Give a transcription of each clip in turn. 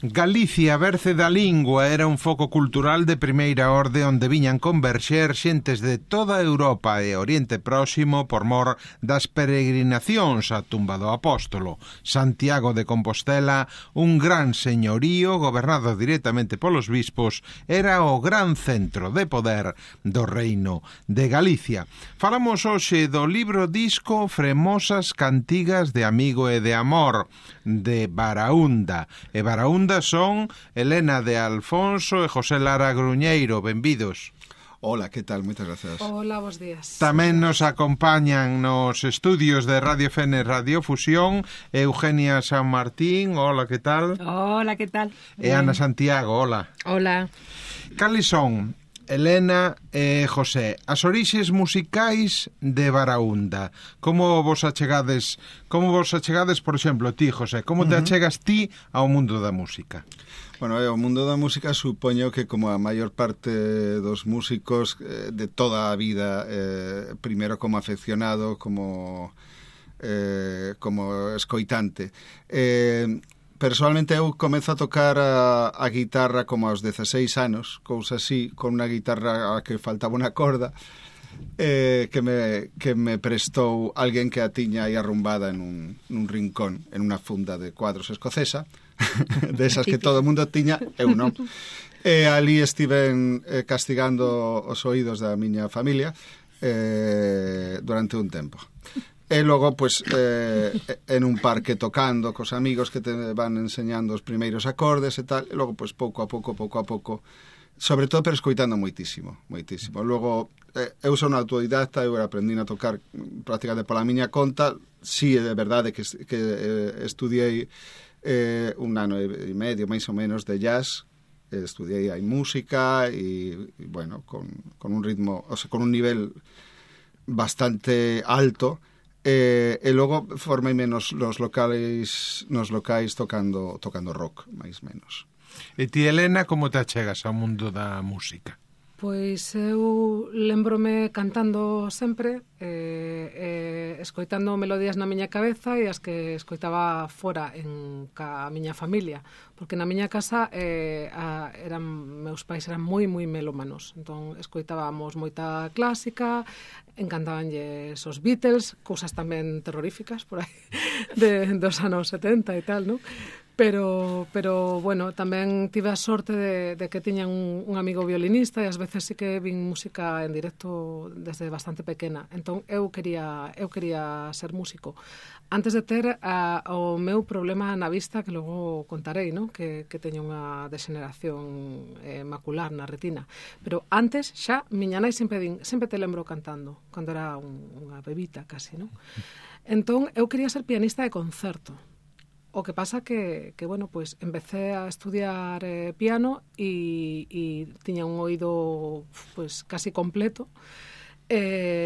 Galicia, berce da lingua, era un foco cultural de primeira orde onde viñan converxer xentes de toda Europa e Oriente Próximo por mor das peregrinacións á tumba do apóstolo. Santiago de Compostela, un gran señorío gobernado directamente polos bispos, era o gran centro de poder do reino de Galicia. Falamos hoxe do libro disco Fremosas cantigas de amigo e de amor, de Baraúnda. E Baraúnda son Elena de Alfonso e José Lara Gruñeiro. Benvidos. Hola, que tal? Moitas gracias. Hola, bos días. Tamén nos acompañan nos estudios de Radio Fene Radio Fusión Eugenia San Martín. Hola, que tal? Hola, que tal? E Ana Santiago, hola. Hola. Cales son, Elena e José, as orixes musicais de Baraúnda? Como vos achegades, por exemplo, ti, José, como te achegas ti ao mundo da música? Bueno, o mundo da música supoño que como a maior parte dos músicos de toda a vida, primeiro como afeccionado, como escoitante. Personalmente eu comezo a tocar a guitarra como aos 16 anos, cousa así, con unha guitarra a que faltaba unha corda, que me prestou alguén que a tiña aí arrumbada nun rincón, en unha funda de cuadros escocesa, desas que todo o mundo tiña, eu non. E ali estiven castigando os oídos da miña familia durante un tempo. E logo, pois, en un parque tocando cos amigos que te van enseñando os primeiros acordes e tal, e logo, pois, pouco a pouco, sobre todo, pero escoitando moitísimo. Logo, eu son autodidacta, eu aprendín a tocar prácticamente pola miña conta. Si, é de verdade que estudiei un ano e medio, máis ou menos, de jazz. Estudiei aí música e bueno, con un ritmo, o sea, con un nivel bastante alto. E logo formeime nos locais tocando rock, máis menos. E ti, Elena, como te achegas ao mundo da música? Pois eu lembrome cantando sempre, escoitando melodías na miña cabeza e as que escoitaba fora ca miña familia, porque na miña casa meus pais eran moi melómanos, entón escoitábamos moita clásica, encantabanlles os Beatles, cousas tamén terroríficas por aí dos anos 70 e tal, non? Pero bueno, tamén tive a sorte de que tiñan un amigo violinista e ás veces sí que vin música en directo desde bastante pequena. Entón eu quería ser músico. Antes de ter o meu problema na vista, que logo contarei, ¿no? Que teño unha degeneración macular na retina. Pero antes xa, miña nai sempre te lembro cantando, cando era unha bebita casi, ¿no? Entón eu quería ser pianista de concerto. O que pasa que bueno, pues empecé a estudiar piano e tiña un oído pues casi completo,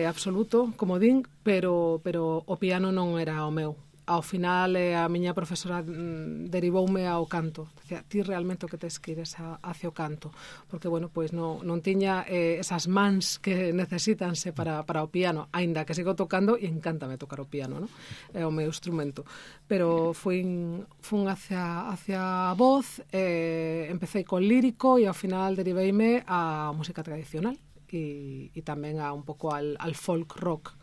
absoluto, como din, pero o piano non era o meu. Ao final a miña profesora derivoume ao canto. Dicía, ti realmente o que tes que ir hacia o canto, porque bueno, pues non tiña esas mans que necesítanse para o piano, aínda que sigo tocando e encántame tocar o piano, ¿no? É o meu instrumento. Pero fun hacia a voz, empecé con lírico e ao final deriveime á música tradicional e tamén a un pouco al folk rock.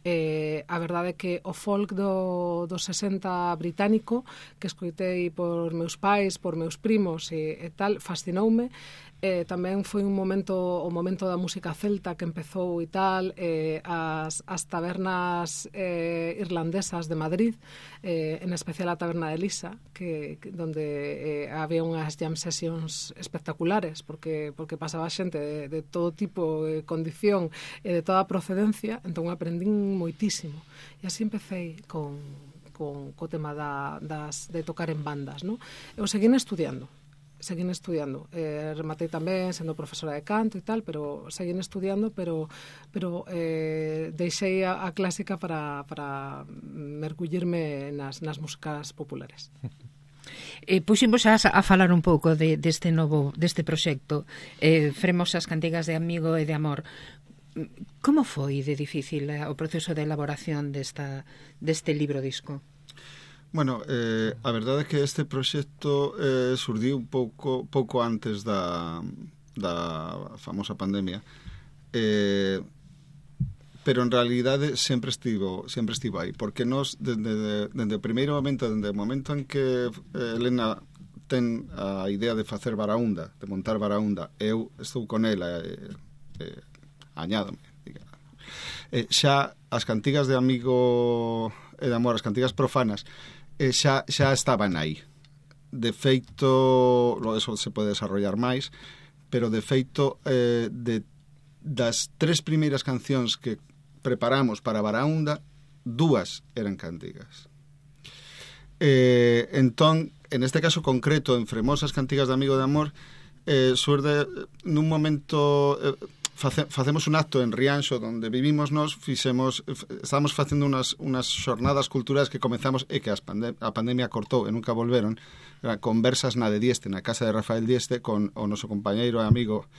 A verdade é que o folk do 60 británico, que escoitei por meus pais, por meus primos e tal, fascinoume. Tamén foi o momento da música celta que empezou e tal, as tabernas irlandesas de Madrid, en especial a taberna de Lisa, donde había unhas jam sessions espectaculares, porque pasaba xente de todo tipo de condición e de toda procedencia, entón aprendín moitísimo. E así empecé co tema de tocar en bandas, ¿no? Eu seguín estudiando, rematei tamén sendo profesora de canto e tal, pero seguín estudiando, pero deixei a clásica para mergullirme nas músicas populares. Puximos a falar un pouco deste proxecto, Fremosas cantigas de amigo e de amor. Como foi de difícil o proceso de elaboración deste libro disco? Bueno, a verdade é que este proxecto surdiu un pouco antes da famosa pandemia, pero en realidade sempre estivo aí, porque nós, dende o primeiro momento, dende o momento en que Elena ten a idea de facer Baraúnda, de montar Baraúnda, eu estou con ela, añádome, xa as cantigas de Amigo e de Amor, as cantigas profanas, xa estaban aí. De feito, eso se pode desarrollar máis, pero de feito, das 3 primeiras cancións que preparamos para Baraúnda, 2 eran cantigas. Entón, en este caso concreto, en Fremosas cantigas de Amigo de Amor, surde nun momento... facemos un acto en Rianxo onde vivimos nós, estábamos facendo unas xornadas culturais que comenzamos e que a pandemia cortou e nunca volveron, conversas na de Dieste, na casa de Rafael Dieste, con o noso compañeiro e amigo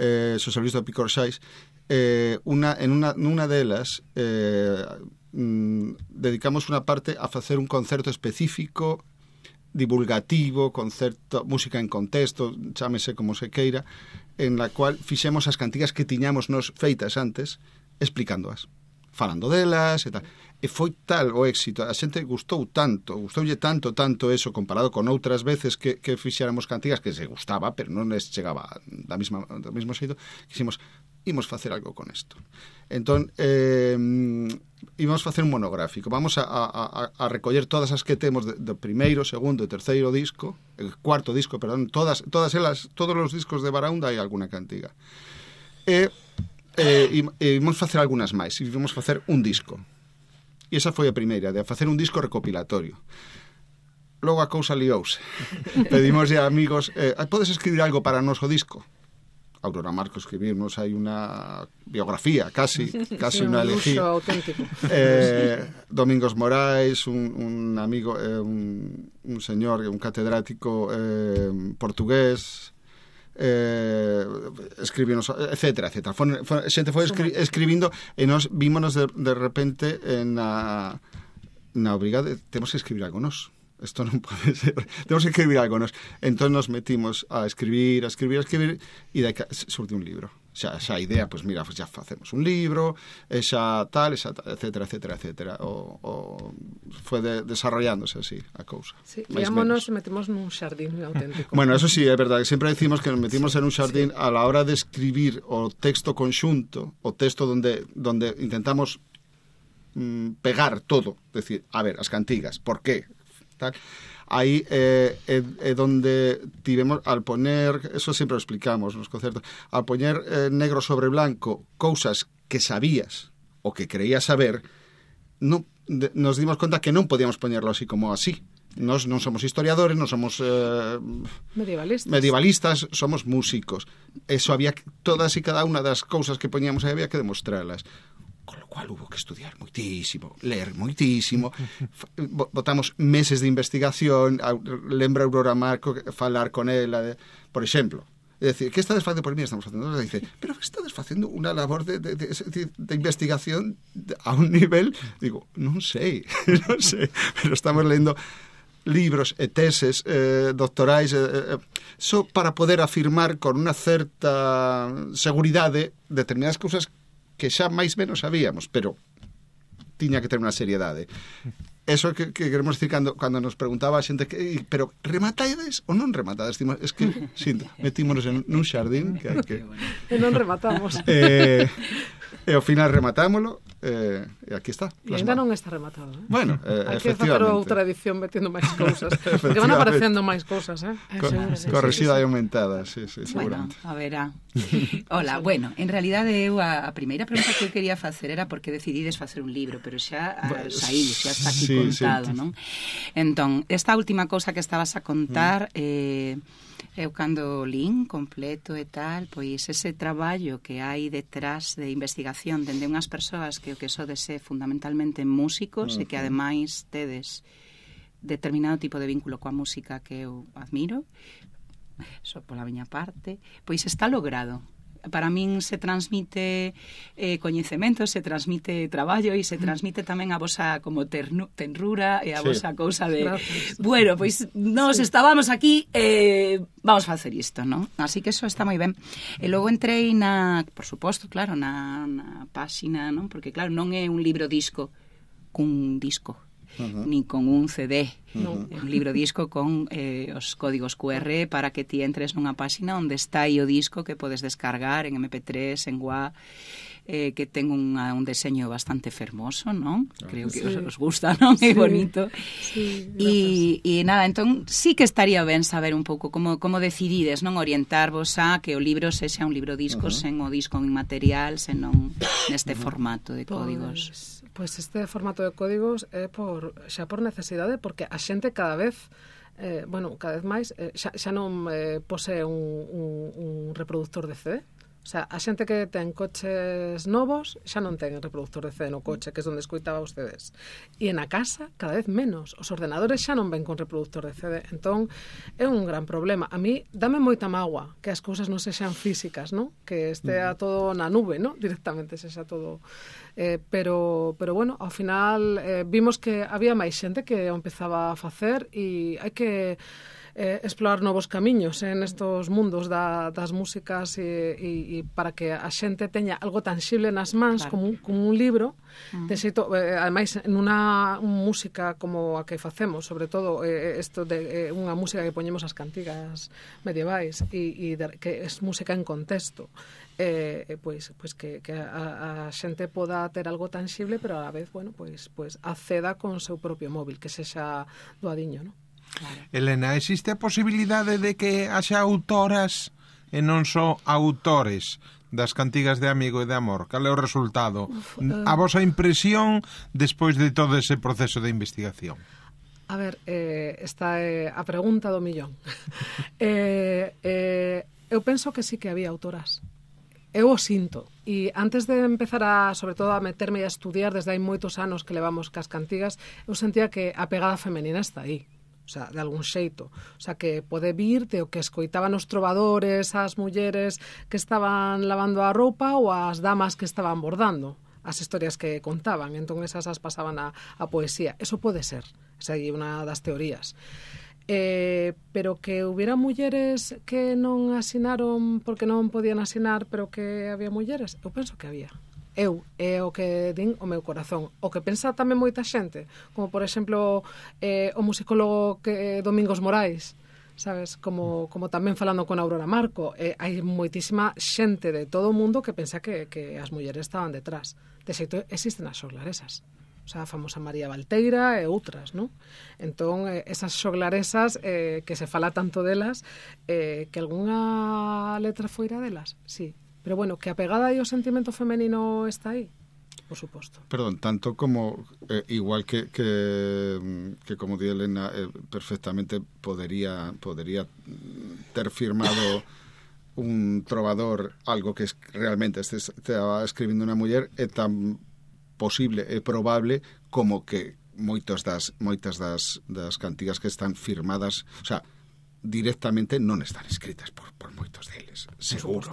Xosé Luis do Picor Xais. Nunha delas dedicamos unha parte a facer un concerto específico divulgativo, concerto, música en contexto, chámese como se queira, en la cual fixemos as cantigas que tiñamos nos feitas antes, explicándoas, falando delas e tal. E foi tal o éxito, a xente gustoulle tanto eso comparado con outras veces que fixéramos cantigas que se gustaba, pero non les chegaba do mesmo xeito, que imos facer algo con isto. Entón, íbamos facer un monográfico. Vamos a recoller todas as que temos do primeiro, segundo e terceiro disco, el cuarto disco, perdón, todas elas, todos os discos de Baraúnda hai alguna cantiga. E íbamos facer algunas máis, íbamos facer un disco. E esa foi a primeira, de facer un disco recopilatorio. Logo a cousa liouse. Pedimos a amigos, podes escribir algo para o noso disco? Aurora Marco escribirnos hai unha biografía, casi unha elegía. Domingos Morais, un amigo, un señor, un catedrático portugués, escribirnos, etcétera. Xente foi escribindo e nos vímonos de repente na obriga de temos que escribir algo nós. Isto non pode ser. Temos que escribir algo nós. Entón nos metimos a escribir e daí surte un libro. Xa a idea, pois mira, xa facemos un libro, xa tal, etcétera. Foi desarrollándose así a cousa. Sí, íamos e metimos nun xardín auténtico. Bueno, eso sí, é verdade. Sempre decimos que nos metimos en un xardín a la hora de escribir o texto conxunto, o texto donde intentamos pegar todo. Decir, a ver, as cantigas, por qué? Tal. Aí é donde tivemos, al poner, eso sempre lo explicamos nos concertos, al poner negro sobre blanco cousas que sabías o que creías saber, nos dimos conta que non podíamos poñerlo así como así. Nos non somos historiadores, non somos medievalistas, somos músicos. Eso había, todas e cada unha das cousas que poñíamos aí había que demostrarlas. Con lo cual hubo que estudiar moitísimo, ler moitísimo, botamos meses de investigación, lembra Aurora Marco falar con ela, por exemplo, é dicir, que estades facendo por mí? Estamos facendo, nos dice, pero que estades facendo unha labor de investigación a un nivel, digo, non sei, pero estamos lendo libros e teses doctorais só para poder afirmar con unha certa seguridade determinadas cousas que xa máis menos sabíamos, pero tiña que ter unha seriedade. Eso que queremos decir cando nos preguntaba a xente pero rematades ou non rematades? Es que, metímonos en un xardín que hai que... E non rematamos. E ao final rematámoslo e aquí está. E ainda non está rematado, eh? Bueno, hai que facer outra edición metendo máis cousas, porque van aparecendo máis cousas, eh? Correxida e aumentada, sí, bueno, a verá. Hola, bueno, en realidade eu a primeira pregunta que eu quería facer era por que decidides facer un libro, pero xa saí, xa está aquí contado, non? Entón, esta última cousa que estabas a contar eu cando lín completo e tal, pois ese traballo que hai detrás de investigación dende unhas persoas que o que sodes é fundamentalmente músicos e que ademais tedes determinado tipo de vínculo coa música que eu admiro, só pola miña parte, pois está logrado. para min se transmite coñecemento, se transmite traballo e se transmite tamén a vosa como tenrura e a vosa cousa de bueno, pois nos estábamos aquí vamos facer isto, non? Así que eso está moi ben. E logo entrei por suposto, claro, na páxina, non? Porque claro, non é un libro disco cun disco, ni con un CD, un libro disco con os códigos QR para que ti entres nunha páxina onde está aí o disco que podes descargar en MP3, en WAV, que ten un deseño bastante fermoso, non? Creo que os gusta, non? É bonito. E nada, entón sí que estaría ben saber un pouco como decidides, non? Orientarvos a que o libro sexa un libro disco sen o disco inmaterial, senón neste formato de códigos. Pois este formato de códigos é xa por necesidade, porque a xente cada vez cada vez máis xa non posee un reproductor de CD. O sea, a xente que ten coches novos xa non ten reproductor de CD no coche, que é onde escoitaba os CDs. E na casa, cada vez menos. Os ordenadores xa non ven con reproductor de CD. Entón, é un gran problema. A mí, dame moita mágoa que as cousas non sexan físicas, non? Que estea todo na nube, non? Directamente sexa todo... pero bueno, ao final vimos que había máis xente que o empezaba a facer e hai que explorar novos camiños en estos mundos das músicas e para que a xente teña algo tangible nas mans, claro, como un libro, de xeito, ademais, nunha música como a que facemos, sobre todo isto de unha música que poñemos as cantigas medievais e que é música en contexto, pois que a xente poda ter algo tangible, pero a la vez, bueno, pois acceda con o seu propio móvil, que sexa doadiño, non? Claro. Elena, existe a posibilidade de que haxa autoras e non só autores das cantigas de Amigo e de Amor? Cal é o resultado? A vosa impresión despois de todo ese proceso de investigación? A ver, esta é a pregunta do millón. Eu penso que sí que había autoras. Eu o sinto. E antes de empezar sobre todo, a meterme e a estudiar desde hai moitos anos que levamos cas cantigas, eu sentía que a pegada femenina está aí. O sea, de algún xeito. O sea, que pode vir de o que escoitaban os trovadores, as mulleres que estaban lavando a roupa ou as damas que estaban bordando as historias que contaban. Entón, esas as pasaban a poesía. Eso pode ser. Esa é unha das teorías. Pero que hubiera mulleres que non asinaron porque non podían asinar, pero que había mulleres, eu penso que había. É o que din o meu corazón. O que pensa tamén moita xente, como por exemplo o musicólogo Domingos Morais, sabes, como tamén falando con Aurora Marco, hai moitísima xente de todo o mundo que pensa que as mulleres estaban detrás. De xeito, existen as xoglaresas. O sea, a famosa María Valteira e outras, non? Entón, esas xoglaresas que se fala tanto delas, que algunha letra foira delas, sí. Pero bueno, que a pegada e o sentimento femenino está aí, por suposto. Perdón, tanto como igual que como di Elena, perfectamente podría ter firmado un trovador algo que realmente estaba escribindo unha muller, é tan posible e probable como que moitas das cantigas que están firmadas, o sea, directamente non están escritas por moitos deles, seguro.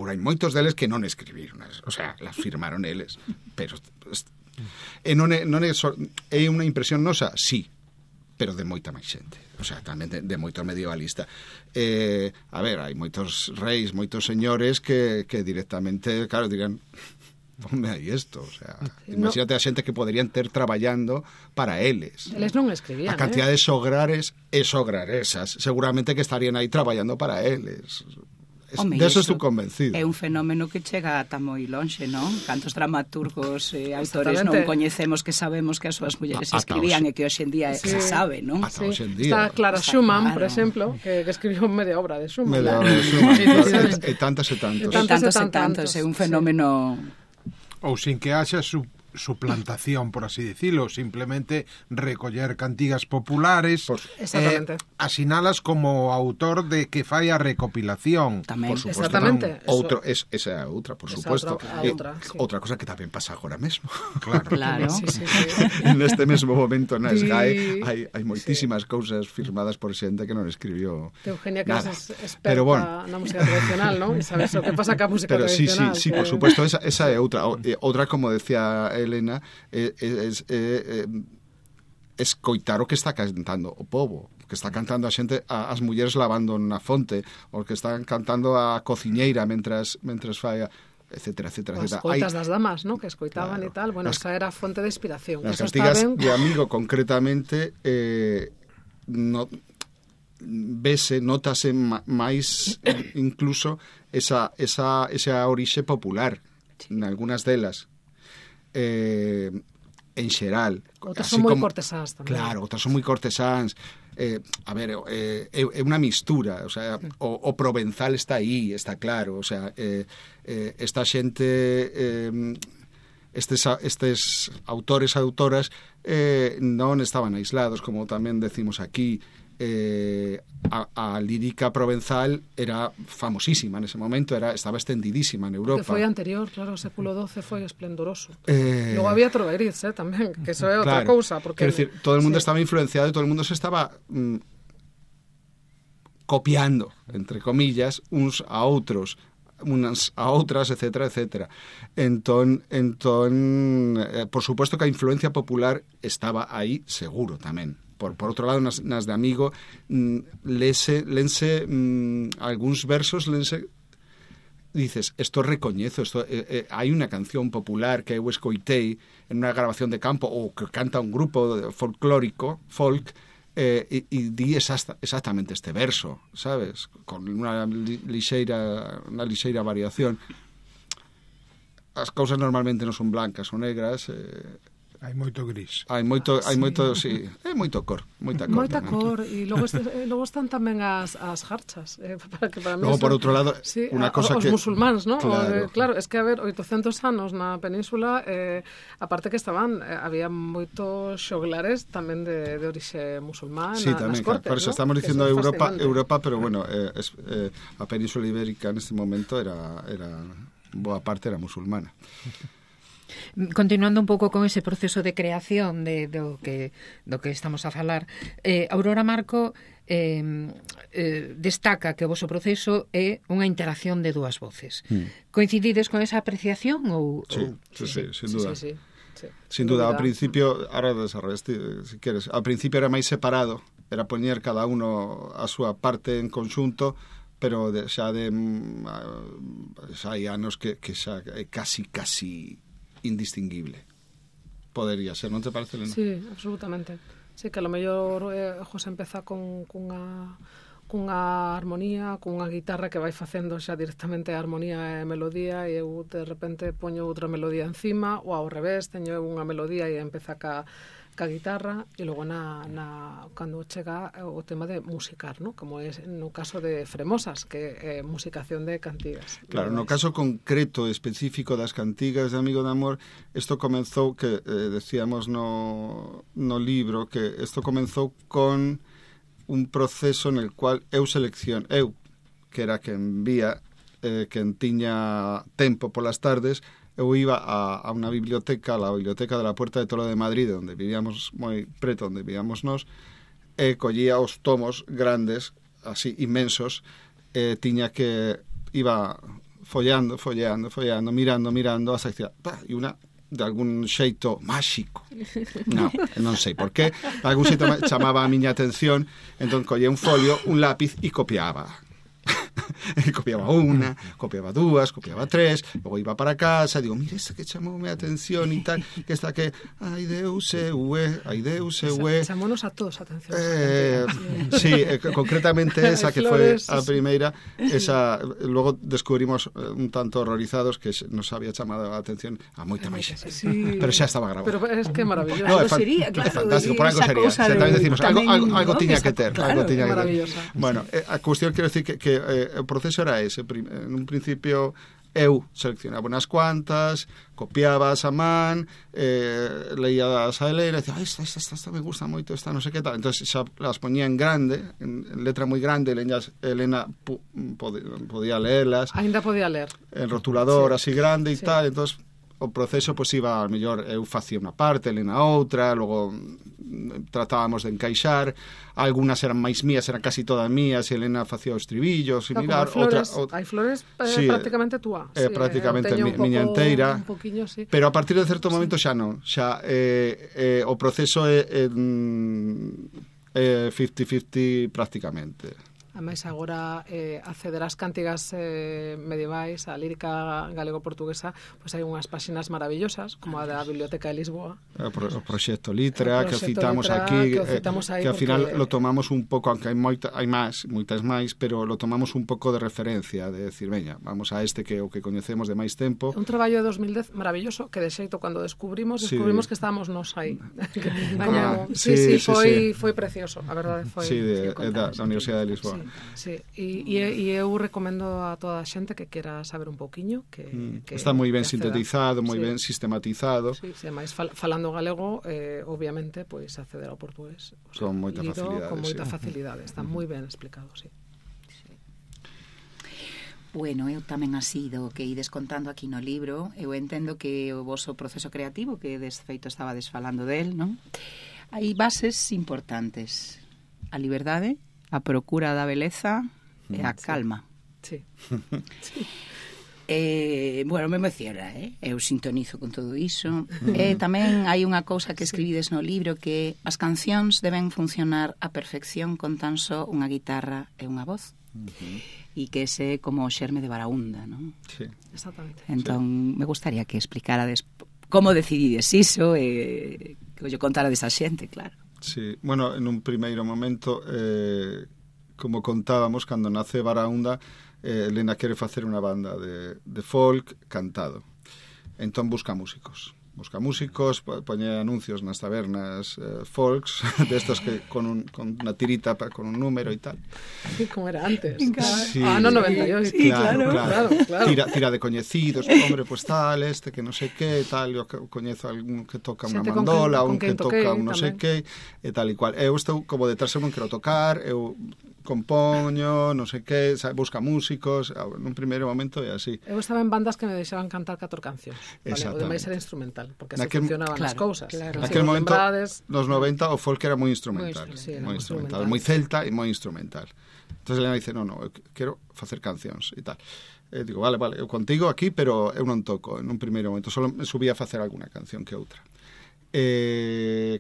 Hai moitos deles que non escribiron, o sea, las firmaron eles, pero non é unha impresión nosa, sí, pero de moita máis xente, o sea, tamén de moito medievalista. A ver, hai moitos reis, moitos señores que directamente, claro, dirán, ponme aí isto, o sea, imagínate a xente que poderían ter traballando para eles. Eles non escribían, a cantidad de xograres e xograresas, seguramente que estarían aí traballando para eles. De eso estou convencido. É un fenómeno que chega ata moi lonxe, non? Cantos dramaturgos e autores non coñecemos que sabemos que as súas mulleres escribían e que hoxe en día se sabe, non? Sí. Está Clara Schumann, por exemplo, que escribiu media obra de Schumann. Media obra de Schumann. E tantos. É un fenómeno... Ou sin que haxa suplantación, por así decirlo, simplemente recoller cantigas populares, asinalas como autor de que fai a recopilación. Tamén. Por supuesto. Exactamente. Esa é outra, por supuesto. Outra cosa que tamén pasa agora mesmo. Claro. Sí. Neste mesmo momento na SGAE hai moitísimas cousas firmadas por xente que non escribió Eugenia, que nada. es experta na música tradicional, ¿no? E sabes o que pasa ca música tradicional. Sí, por supuesto, esa é outra. Outra, como decía Elena, escoitar o que está cantando o pobo, que está cantando a xente, as mulleres lavando na fonte, o que están cantando a cociñeira mentras fai, etcétera. As coitas das damas, ¿no? Que escoitaban e tal. Bueno, esa era a fonte de inspiración. As cantigas de Amigo, concretamente, notase máis incluso esa orixe popular en algunhas delas. En xeral. Outras son moi cortesáns tamén. Claro, outras son moi cortesáns. A ver, é unha mistura, o sea, o provenzal está aí, está claro, o sea, esta xente, estes autores e autoras non estaban aislados, como tamén decimos aquí. A lírica provenzal era famosísima nese momento, estaba extendidísima en Europa. Que foi anterior, claro, o século XII foi esplendoroso. Logo había Troveritz, tamén, que eso é outra cousa. Quero dicir, todo o mundo estaba influenciado e todo o mundo se estaba copiando, entre comillas, uns a outros, unas a outras, etcétera. Entón, por suposto que a influencia popular estaba aí seguro tamén. Por outro lado, nas de Amigo, lense algúns versos, dices, esto recoñezo, hai unha canción popular que eu escoitei en unha grabación de campo, ou que canta un grupo folclórico, folk, e di exactamente este verso, sabes? Con unha lixeira variación. As cousas normalmente non son blancas ou negras, hai moito gris. Hai moito, sí, é moito cor, moita cor. E logo están tamén as jarchas, para mí. Logo, por outro lado, unha cosa que os musulmáns, ¿no? Claro, es que, a ver, 800 anos na península, aparte que había moitos xoglares tamén de orixe musulmán, sí, tamén, nas cortes, por eso estamos dicindo Europa, pero bueno, a península ibérica neste momento era boa parte era musulmana. Continuando un pouco con ese proceso de creación do que estamos a falar, Aurora Marco destaca que o voso proceso é unha interacción de dúas voces. Coincidides con esa apreciación? Sí, sin duda. Sí. Sin duda, ao principio, ahora desarrollaste, si queres, ao principio era máis separado, era poñer cada uno a súa parte en conxunto, pero xa hai anos que xa é casi indistinguible. Podería ser, non te parece, Elena? Sí, absolutamente. Sí, que a lo mellor José empeza cunha armonía, cunha guitarra que vai facendo xa directamente a armonía e a melodía, e eu de repente poño outra melodía encima, ou ao revés, teño unha melodía e empeza ca guitarra, e logo cando chega o tema de musicar, ¿no? Como é no caso de Fremosas, que é musicación de cantigas. Claro, no caso concreto específico das cantigas de Amigo de Amor, isto comenzou, que decíamos no libro, que isto comenzou con un proceso en el cual eu, que era quen vía, quen tiña tempo polas tardes, eu iba a unha biblioteca, a Biblioteca de la Puerta de Toro de Madrid, onde vivíamos moi preto, onde vivíamos nós, e collía os tomos grandes, así inmensos, e tiña que iba follando, mirando, hasta que e unha de algún xeito máxico. Non sei por qué, de algún xeito chamaba a miña atención, entón collía un folio, un lápiz e copiaba. Copiaba unha, copiaba dúas, copiaba tres, logo iba para casa, digo, mira esta que chamoume a atención e tal, que esta que ai Deus ue. Chamounos a todos a atención. Sí, concretamente esa que foi a primeira, esa, logo descubrimos un tanto horrorizados que nos había chamado a atención a moita máis xente. Sí. Pero xa estaba grabado. Pero es que maravilloso. No, é fantástico, por algo sería. Xa tamén decimos, algo tiña que ter. Claro, maravillosa. Bueno, a cuestión, quero decir que o proceso era ese. En un principio eu seleccionaba unas cuantas, copiabas a man, leías a Elena, e dicía, esta me gusta moito, esta non sei que tal. Entón, xa las poñía en grande, en letra moi grande, Elena podía leerlas. Ainda podía ler. En rotulador, sí, así grande e sí. tal, entón, o proceso, pois, iba, a mellor, eu facía unha parte, Elena outra, logo tratábamos de encaixar, algunas eran máis mías, eran casi todas mías, e Elena facía os estribillos, similar, hai flores sí, prácticamente túa. Sí, prácticamente miña enteira, un poquinho, sí. Pero a partir de certo momento xa non, xa o proceso é 50-50 prácticamente. Ademais, agora acceder ás cántigas medievais, a lírica galego-portuguesa, pois hai unhas páxinas maravillosas, como a da Biblioteca de Lisboa. O proxecto Litra, que citamos aquí, que ao final lo tomamos un pouco, aunque hai moitas máis, pero lo tomamos un pouco de referencia, de decir, veña, vamos a este que o que coñecemos de máis tempo. Un traballo de 2010 maravilloso, que de xeito, cando descubrimos que estábamos nos aí. Foi precioso, a verdade foi. Sí, da Universidade de Lisboa. Sí, e eu recomendo a toda a xente que quera saber un pouquiño que está moi ben sintetizado, moi ben sistematizado. Sí, máis falando galego, obviamente, pois acceder ao portugués, con moita facilidade. Con moita facilidade, está moi ben explicado, sí. Bueno, eu tamén así do que ides contando aquí no libro, eu entendo que o voso proceso creativo, que de feito estabades falando del, non? Hai bases importantes: a liberdade, a procura da beleza e a calma. Sí. Bueno, me emociona, eu sintonizo con todo iso. Tamén hai unha cousa que escribides no libro, que as cancións deben funcionar a perfección con tan só unha guitarra e unha voz. E que ese é como o xerme de Baraúnda, non? Sí, exactamente. Entón, me gustaría que explicarades como decidides iso e que yo contara desa xente, claro. Sí, bueno, en un primeiro momento, como contábamos, cando nace Baraúnda, Elena quere facer unha banda de folk cantado. Entón busca músicos, poñe anuncios nas tabernas folks, destos que con unha tirita con un número e tal. Sí, como era antes. Sí, no 98. Sí, claro. Tira de coñecidos, hombre, pues tal, este que non sei que, tal, eu coñezo algún que toca unha mandola, un que toca un non sei que, e tal e cual. Eu estou como detrás, eu non quero tocar, eu compoño, non sei que, busca músicos, nun primeiro momento é así. Eu estaba en bandas que me deixaban cantar 4 cancións, vale? O demais era instrumental, porque así funcionaban as cousas. Naquel momento, nos 90, o folk era moi instrumental, moi celta e moi instrumental. Entón, Elena dice, non, eu quero facer cancións e tal. Digo, vale, eu contigo aquí, pero eu non toco en un primeiro momento, só me subía a facer alguna canción que outra.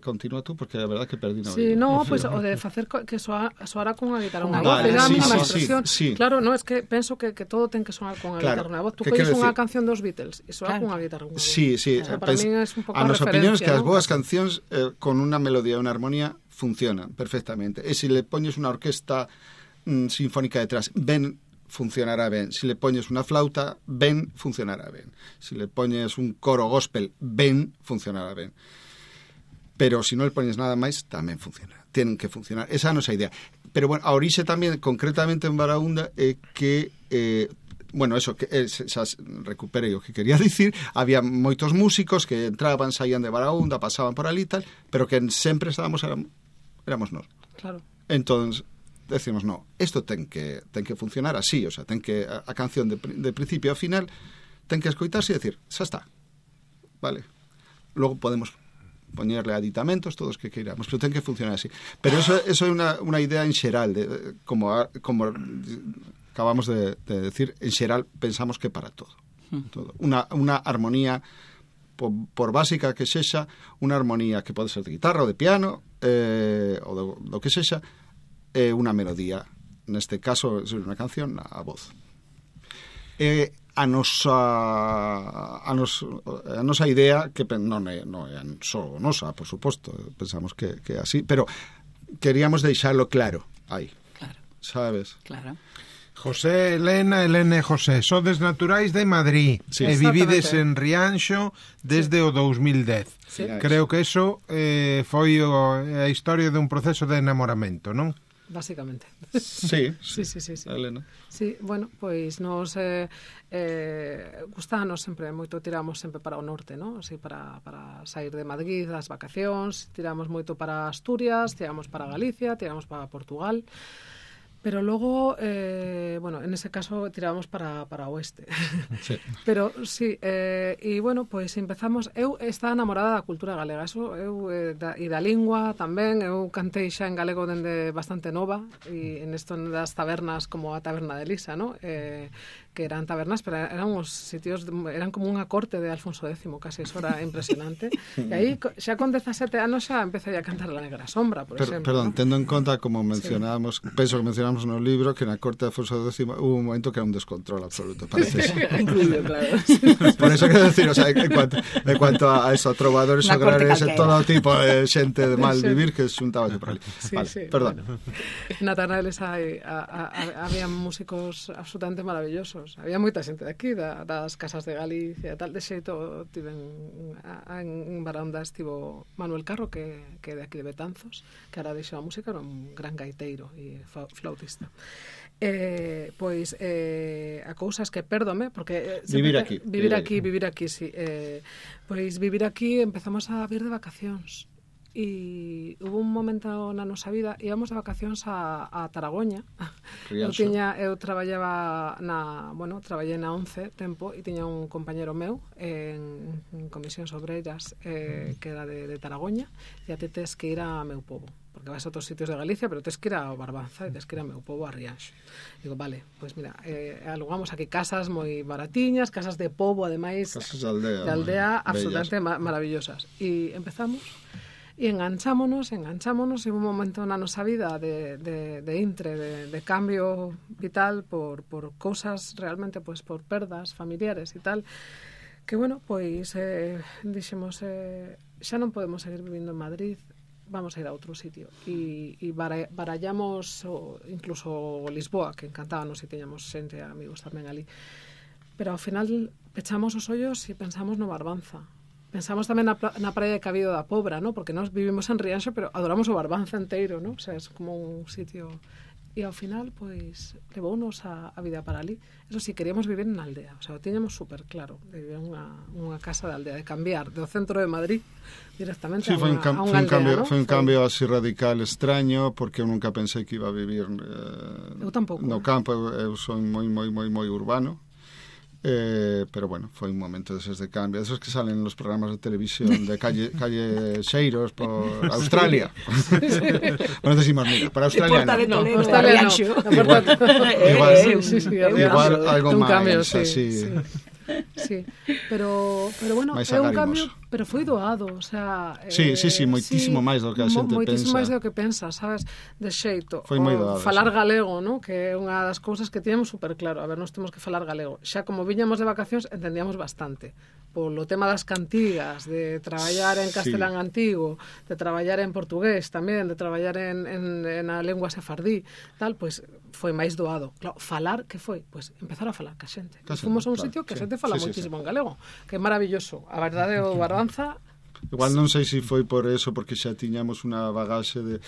Continúa tú, porque a verdad que perdí no. Sí, no, pues o de facer que soara con unha guitarra unha voz, era a mínima expresión. Claro, no, es que penso que todo ten que soar con a guitarra unha voz. Tú colles unha canción dos Beatles e soa con a guitarra unha voz. Sí. Para min é un pouco a nos opinións que as boas cancións con unha melodía e unha armonía funcionan perfectamente. E se le poñes unha orquesta sinfónica detrás, ben funcionará ben. Se le poñes unha flauta, ben funcionará ben. Se le poñes un coro gospel, ben funcionará ben. Pero se non le poñes nada máis, tamén funciona. Tienen que funcionar. Esa é a nosa idea. Pero, bueno, a orixe tamén, concretamente en Baraúnda, é que... bueno, eso, que xa recuperei o que quería dicir, había moitos músicos que entraban, saían de Baraúnda, pasaban por ali tal, pero que sempre estábamos, éramos nós. Claro. Entón, decimos, no, isto ten que funcionar así, o sea, ten que a canción de principio a final ten que escoitarse e decir, xa está, vale. Logo podemos poñerle aditamentos, todos que queiramos, pero ten que funcionar así. Pero eso é unha idea en xeral, como acabamos de decir, en xeral pensamos que para todo. Unha armonía, por básica que sexa, unha armonía que pode ser de guitarra ou de piano, ou do que sexa, unha melodía, neste caso é unha canción, a voz. A nosa idea, que non é só nosa, por suposto, pensamos que é así, pero queríamos deixarlo claro aí, sabes? Claro. José, Elena e José, sodes naturais de Madrid e vivides en Rianxo desde o 2010. Sí. Creo que eso foi a historia dun proceso de enamoramento, non? básicamente. Sí, sí. Elena. Sí, bueno, pois nos gustanos sempre moito, tiramos sempre para o norte, ¿no? Así para sair de Madrid das vacacións, tiramos moito para Asturias, tiramos para Galicia, tiramos para Portugal. Pero logo, bueno, en ese caso tirábamos para oeste. Sí. Pero sí, e bueno, pois empezamos. Eu estaba enamorada da cultura galega, eso e da lingua tamén. Eu cantei xa en galego dende bastante nova, e en isto das tabernas como a taberna de Lisa, ¿no? Que eran tabernas, pero eran uns sitios, eran como unha corte de Alfonso X, casi, eso era impresionante. E aí, xa con 17 anos xa empecé a cantar La Negra Sombra, por exemplo. Perdón, ¿no? tendo en conta, como mencionábamos, penso que mencionamos no libro, que na corte de Alfonso X hubo un momento que era un descontrol absoluto, parece. Incluido, claro. Por eso quero decir, o sea, en cuanto a eso, trovadores agrarios e todo tipo de xente de mal vivir que xuntaba por ali. Sí, vale, sí, perdón. Bueno. Na Tanales había músicos absolutamente maravillosos. Había moita xente de aquí, das casas de Galicia e tal. De xeito, en Baranda estivo Manuel Carro, que é de aquí de Betanzos, que ahora deixou a música, era un gran gaiteiro e flautista. Pois a cousas que pérdome, porque vivir aquí, sí. Pois vivir aquí empezamos a vir de vacacións. E hubo un momento na nosa vida, íbamos de vacacións a Taragoña. Eu traballaba traballei na 11 tempo e tiña un compañero meu en Comisións Obreiras que era de Taragoña, e a ti tes que ir a meu pobo, porque vas a outros sitios de Galicia, pero tes que ir ao Barbanza e tes que ir a meu pobo, a Rianxo. Digo, vale, pois mira, alugamos aquí casas moi baratiñas, casas de pobo, ademais, casas de aldea absolutamente maravillosas. E empezamos e enganchámonos, e un momento na nosa vida de intre, de cambio vital por cousas realmente, pois por perdas familiares e tal, que bueno, pois dixemos, xa non podemos seguir vivindo en Madrid, vamos a ir a outro sitio, e barallamos incluso Lisboa, que encantábamos, e tiñamos xente, amigos tamén ali, pero ao final pechamos os ollos e pensamos no Barbanza. Pensamos tamén na praia de Cabido da Pobra, ¿no? Porque nós vivimos en Rianxo, pero adoramos o Barbanza inteiro, ¿no? O sea, es como un sitio... E ao final, pois, levounos a vida para ali. Eso sí, queríamos vivir en aldea. O sea, o tiñamos super claro de vivir en unha casa de aldea, de cambiar do centro de Madrid directamente a unha aldea, ¿no? Foi un cambio así radical, extraño, porque eu nunca pensei que iba a vivir eu tampouco, no campo. Eu son moi urbano. Pero bueno, foi un momento deses de cambio, esos que salen nos programas de televisión de calle Xeiros por Australia. Non decimos, mira, para Australia igual algo máis así. Sí, pero bueno, é un cambio, pero foi doado, o sea, sí, moitísimo máis do que a xente pensa. Moitísimo máis do que pensa, sabes, de xeito. Foi moi doado. Falar galego, ¿no? Que é unha das cousas que tiñamos super claro. A ver, nós temos que falar galego. Xa como viñamos de vacacións, entendíamos bastante. Polo tema das cantigas, de traballar en castelán antigo, de traballar en portugués tamén, de traballar en a lengua sefardí, tal, pois foi máis doado. Claro, falar, que foi? Pois empezar a falar ca xente. Fomos a un sitio que a xente fala moitísimo en galego, que é maravilloso. A verdade, o Barbanza... Igual non sei se foi por eso, porque xa tiñamos unha bagaxe de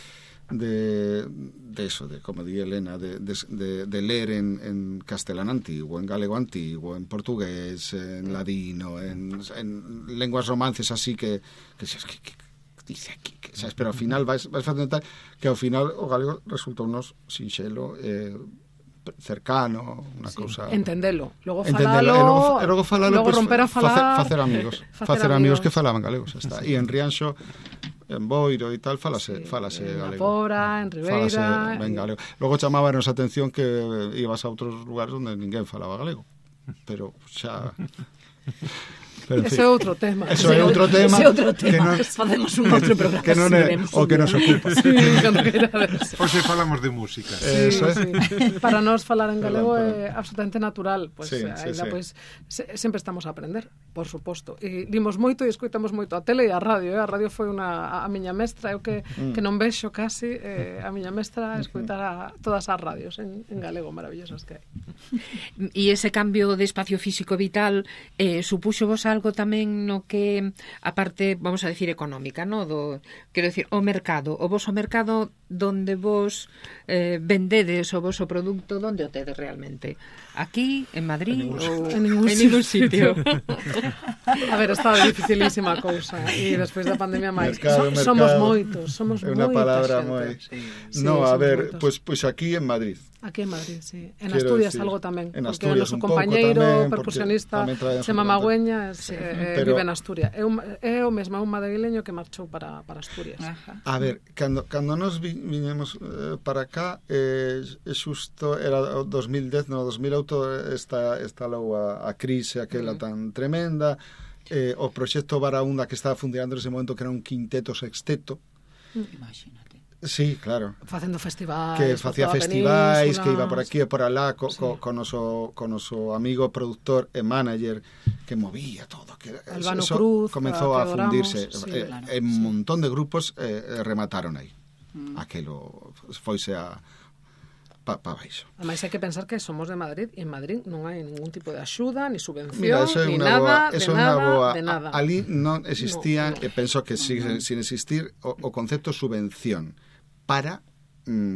eso, de como di Elena, de ler en castelán antigo, en galego antigo, en portugués, en ladino, en lenguas romances así que dice aquí, sabes, pero ao final vais facendo tal que ao final o galego resulta unos sinxelo, cercano, unha cousa... Entendelo, logo falalo, logo pues, romper a falar... Facer amigos que falaban galego, xa está. E en Rianxo, en Boiro e tal, falase galego. En Pora, en Ribeira... Falase ben galego. Logo chamábanos a atención que ibas a outros lugares onde ninguén falaba galego. Pero xa... Pero, ese é outro tema. Ese é outro tema. Que non, facemos un outro programa. Que non é o que nos ocupa. Sí, cando querades. Hoxe falamos de música. Sí. Para nós falar en galego é absolutamente natural. Pues, pues, sempre estamos a aprender, por suposto. E vimos moito e escoitamos moito a tele e a radio. A radio foi a miña mestra. Eu que non vexo casi a miña mestra escoitar todas as radios en galego maravillosas que hai. E ese cambio de espacio físico vital supuxo vos algo tamén no que a parte, vamos a decir, económica, no? Quero decir, o mercado, o voso mercado donde vos vendedes o voso produto, donde o tedes realmente? Aquí, en Madrid ou en ningún sitio? A ver, está dificilísima a cousa e despois da pandemia máis. Mercado. Somos moitos, somos É unha moita palabra xente. moi... Sí, No, a somos ver, moitos. pois aquí en Madrid. Aquí en Madrid, sí. En Quero Asturias decir, algo tamén. en Porque Asturias o noso un pouco compañeiro tamén, percusionista porque tamén traemos Chema un Magüeñas Pero- vive en Asturias. É o mesmo, é un madrileño que marchou para Asturias. Ajá. A ver, cando nos viñemos para cá, xusto era o 2010, no 2008 estalou a crise aquela tan tremenda, o proxecto Baraúnda que estaba funcionando nese momento, que era un quinteto sexteto. Imagínate. Sí, claro. Facendo festivais. Que por facía toda a festivais, península. que iba por aquí e por alá Sí. con noso amigo productor e manager que movía todo, que Albano Cruz, comezou que a fundirse, adoramos, sí, claro, un montón de grupos remataron aí. Aquelo foise pa baixo. Ademais, hai que pensar que somos de Madrid e en Madrid non hai ningún tipo de axuda, ni subvención, Mira, eso é ni unha boa, nada, eso de é unha nada, boa. de nada. Ali non existía, No. e penso que sigue sin existir o concepto subvención para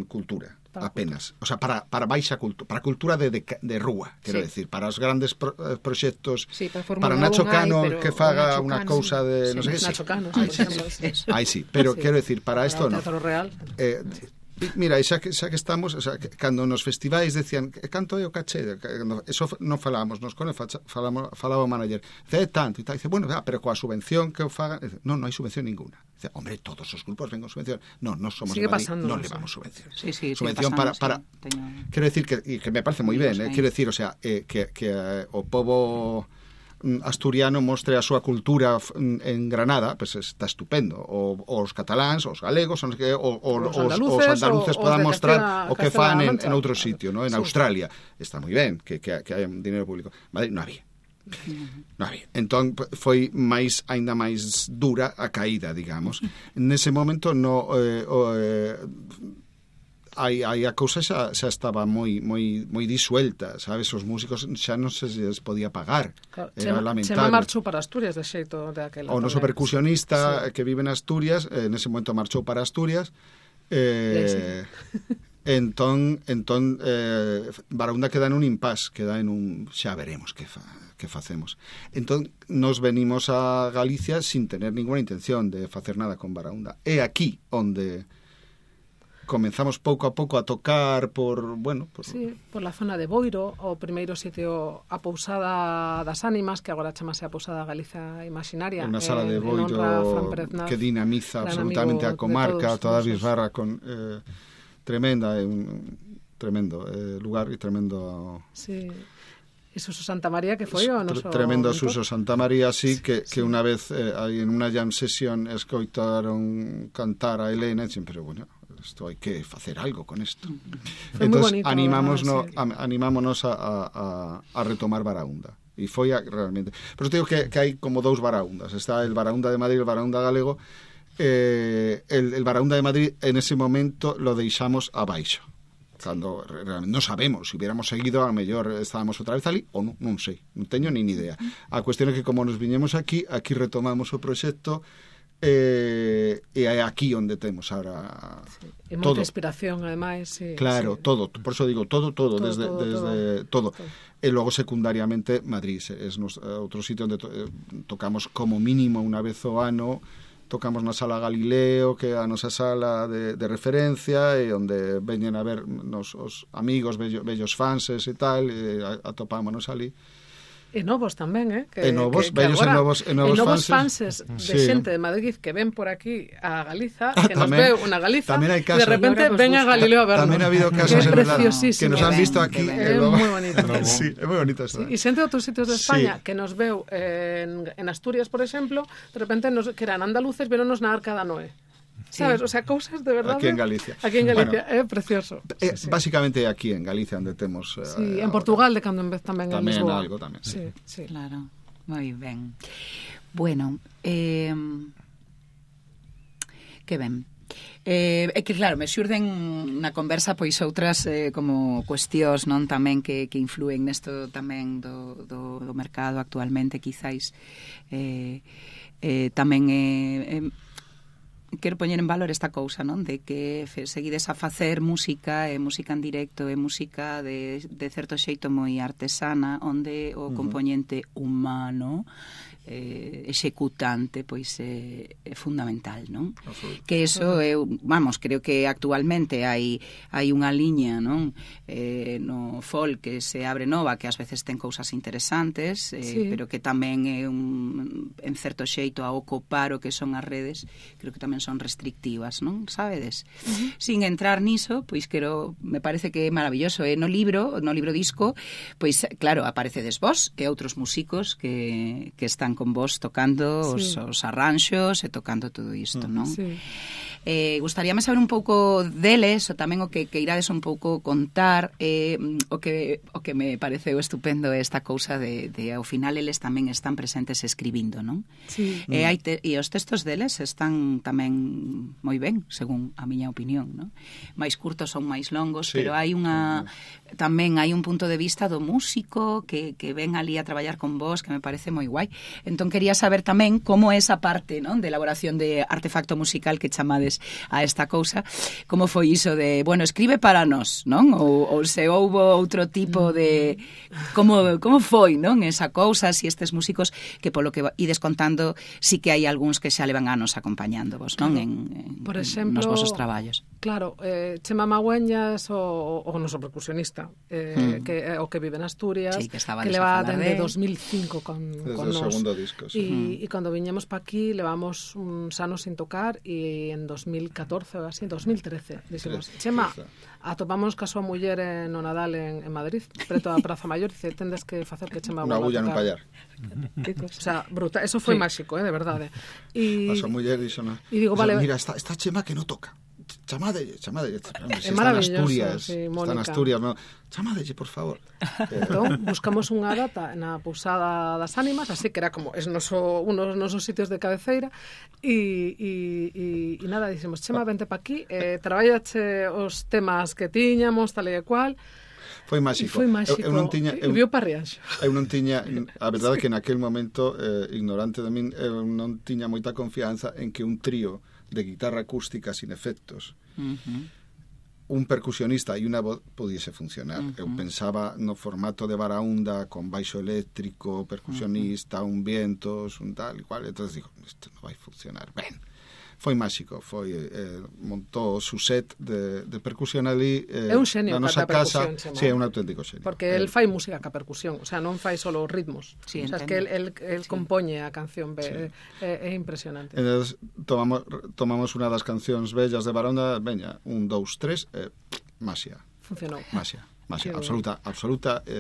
cultura. Para Apenas, o sea, para baixa cultura, para cultura de rúa, quero Sí. decir, para os grandes proxectos, Sí, para Fórmula para Nacho 1 hai, Cano pero que o faga Nacho unha Cano, cousa de, Sí, non sei que Nacho Cano, Ai, por exemplo. Ai, sí, pero Sí. quero decir, para isto o non. Teatro Real. Mira, xa que estamos, o sea, cando nos festivais decían canto é o caché, eso non falábamos, nos con falaba o manager, dice, tanto e tal, dice, bueno, pero coa subvención que o fagan, non hai subvención ninguna. Dice, hombre, todos os grupos ven con subvención. Non somos Sigue de Madrid, pasando, non no sé. levamos subvención. Sí, sí, subvención sigue para pasando, sí. Teño- quero decir que me parece moi ben, Amigos, quero decir, o sea, que o pobo asturiano mostre a súa cultura en Granada, pues está estupendo. Os cataláns, os galegos, os andaluces os podan de mostrar Castela- o que fan Castela-La en Mancha. outro sitio, ¿no? En Sí. Australia. Está moi ben que hai un dinero público. Madrid non había. Non había. Entón foi aínda máis dura a caída, digamos. Nese momento aí a cousa xa estaba moi disuelta, sabes? Os músicos xa non se les podía pagar. Claro, Era Chema lamentable. marchou para Asturias de xeito de aquela. O noso tamén. percusionista Sí. que vive en Asturias, nese momento marchou para Asturias. Sí. Entón Baraúnda queda en un impasse, queda en un xa veremos que facemos. Entón nos venimos a Galicia sin tener ninguna intención de facer nada con Baraúnda. É aquí onde comenzamos pouco a pouco a tocar Sí, por la zona de Boiro, o primeiro sitio, a Pousada das Ánimas, que agora chamase a Pousada Galiza Imaginaria. Unha sala de en honra a Fran Pérez Boiro Naz, que dinamiza gran absolutamente amigo a comarca, de toda a nosos. bisbarra con tremenda, un tremendo lugar e tremendo... Sí. E Suso Santa María, que foi o noso... Tremendo mentor. Suso Santa María, sí, que unha vez aí en unha jam sesión escoitaron cantar a Elena e dixen, pero bueno, isto hai que facer algo con isto. Foi moi Entón bonito, animámonos a retomar Baraúnda. E foi realmente... Pero te digo que hai como dous Baraúndas. Está el Baraúnda de Madrid e el Baraúnda galego. El Baraúnda de Madrid en ese momento lo deixamos abaixo. Cando realmente non sabemos, se hubiéramos seguido a mellor estábamos outra vez ali ou non sei, non teño nin idea. A cuestión é que como nos viñemos aquí retomamos o proxecto e é aquí onde temos ahora E moita todo. inspiración, ademais. Sí, Claro, sí. todo, por eso digo todo, desde todo. E logo secundariamente Madrid é outro sitio onde tocamos como mínimo unha vez ao ano. Tocamos na Sala Galileo, que é a nosa sala de referencia, e onde veñen a ver os amigos, vellos fanses e tal, e atopámonos ali. E novos tamén, E novos, vellos e novos fanses de sí. xente de Madrid que ven por aquí a Galiza, que nos tamén, veu unha Galiza, tamén hai de repente ven a Galileo a vernos. Tamén ha habido casos que é en verdad, preciosísimo. que nos han visto aquí. É moi bonito. Sí, é moi bonito isto. Sí, e xente de outros sitios de España Sí. que nos veu en Asturias, por exemplo, de repente que eran andaluces, veronos na Arca da Noé. Sabes? O sea, cousas de verdade. Aquí en Galicia. Aquí en Galicia, é precioso. Sí. Básicamente aquí en Galicia onde temos... Sí, en Portugal de cando en vez tamén en tamén Lisboa. algo tamén, sí. Sí. Claro, moi ben. Bueno, que ben. É que claro, me xurden na conversa pois outras como cuestións, non, tamén que influen nesto tamén do mercado actualmente, quizáis tamén quero poñer en valor esta cousa, non? De que seguides a facer música, e música en directo, e música de certo xeito moi artesana, onde o componente humano executante pois é fundamental, non? Que eso eu, vamos, creo que actualmente hai unha liña, non? No folk que se abre nova, que ás veces ten cousas interesantes, pero que tamén é en certo xeito a ocupar o que son as redes, creo que tamén son restrictivas, non? Sabedes? Sin entrar niso, pois me parece que é maravilloso, no libro disco, pois claro, aparecedes vos e outros músicos que están con vos tocando os arranxos e tocando todo isto, non? Sí. Gustaríame saber un pouco deles, ou tamén o que irades un pouco contar, o que me pareceu estupendo esta cousa de ao final eles tamén están presentes escribindo, non? Sí. E os textos deles están tamén moi ben, según a miña opinión, non? Mais curtos son máis longos, pero hai tamén hai un punto de vista do músico que ven ali a traballar con vos, que me parece moi guai. Entón quería saber tamén como esa parte, non, de elaboración de artefacto musical que chamades a esta cousa, como foi iso de, bueno, escribe para nós, non? Ou se houbo outro tipo de como foi, non, esa cousa, si estes músicos que polo que ides contando, si que hai algúns que xa levan anos acompañándovos, non? Por exemplo, nos vosos traballos. Claro, Chema Magüeñas, o noso percusionista, o que vive en Asturias, que leva dende 2005 con nos. Segundo disco, sí. E cando viñemos pa aquí levamos uns anos sin tocar, e en 2014 ou así, 2013 dixemos, Chema, atopamos ca súa muller no Nadal en Madrid, preto da Praza Maior, e dice, tendes que facer que Chema unha bulla nun pallar. O sea, brutal, eso foi máxico, de verdade. A súa muller dixo, no. E digo, vale, mira, está Chema que non toca. Chamadelle, é maravilloso, está en Asturias, no. Chamadelle, por favor. Entón, buscamos unha data na Pousada das Ánimas, así que era como uno dos nosos sitios de cabeceira, e nada, dixemos, Chema, vente pa aquí, traballache os temas que tiñamos, tal e cual. Foi máxico. Eu non tiña, e viu pa Rianxo. Eu non tiña, a verdade é que naquel momento, ignorante de min, eu non tiña moita confianza en que un trío de guitarra acústica sin efectos, un percusionista e unha voz pudiese funcionar. Eu pensaba no formato de Baraúnda, con baixo eléctrico, percusionista, un vientos, un tal e cual, entonces digo, isto non vai funcionar. Ben, foi máxico, montou su set de percusión ali, é un xenio na nosa casa. Sí, é un auténtico xenio. Porque el fai música ca percusión, o sea, non fai solo ritmos. Sí, o sea, es que el compoñe a canción, é impresionante. Entonces, tomamos unha das cancións bellas de Baronda, veña, 1, 2, 3, masia. Funcionou. Masia, absoluta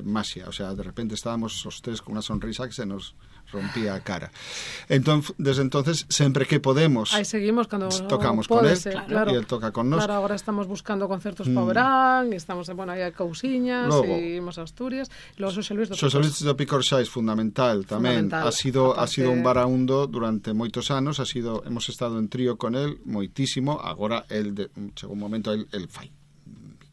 masia. O sea, de repente estábamos os tres con unha sonrisa que se nos rompía a cara. Desde entonces, sempre que podemos, aí seguimos cando tocamos con él, claro, e él toca con nós. Claro, agora estamos buscando concertos para o verán, e estamos, bueno, aí hai cousiñas, e imos a Asturias, e logo Xosé Luis do Picorxais, fundamental tamén. Ha sido un baraundo durante moitos anos, hemos estado en trío con él moitísimo. Agora, chegou un momento, el fai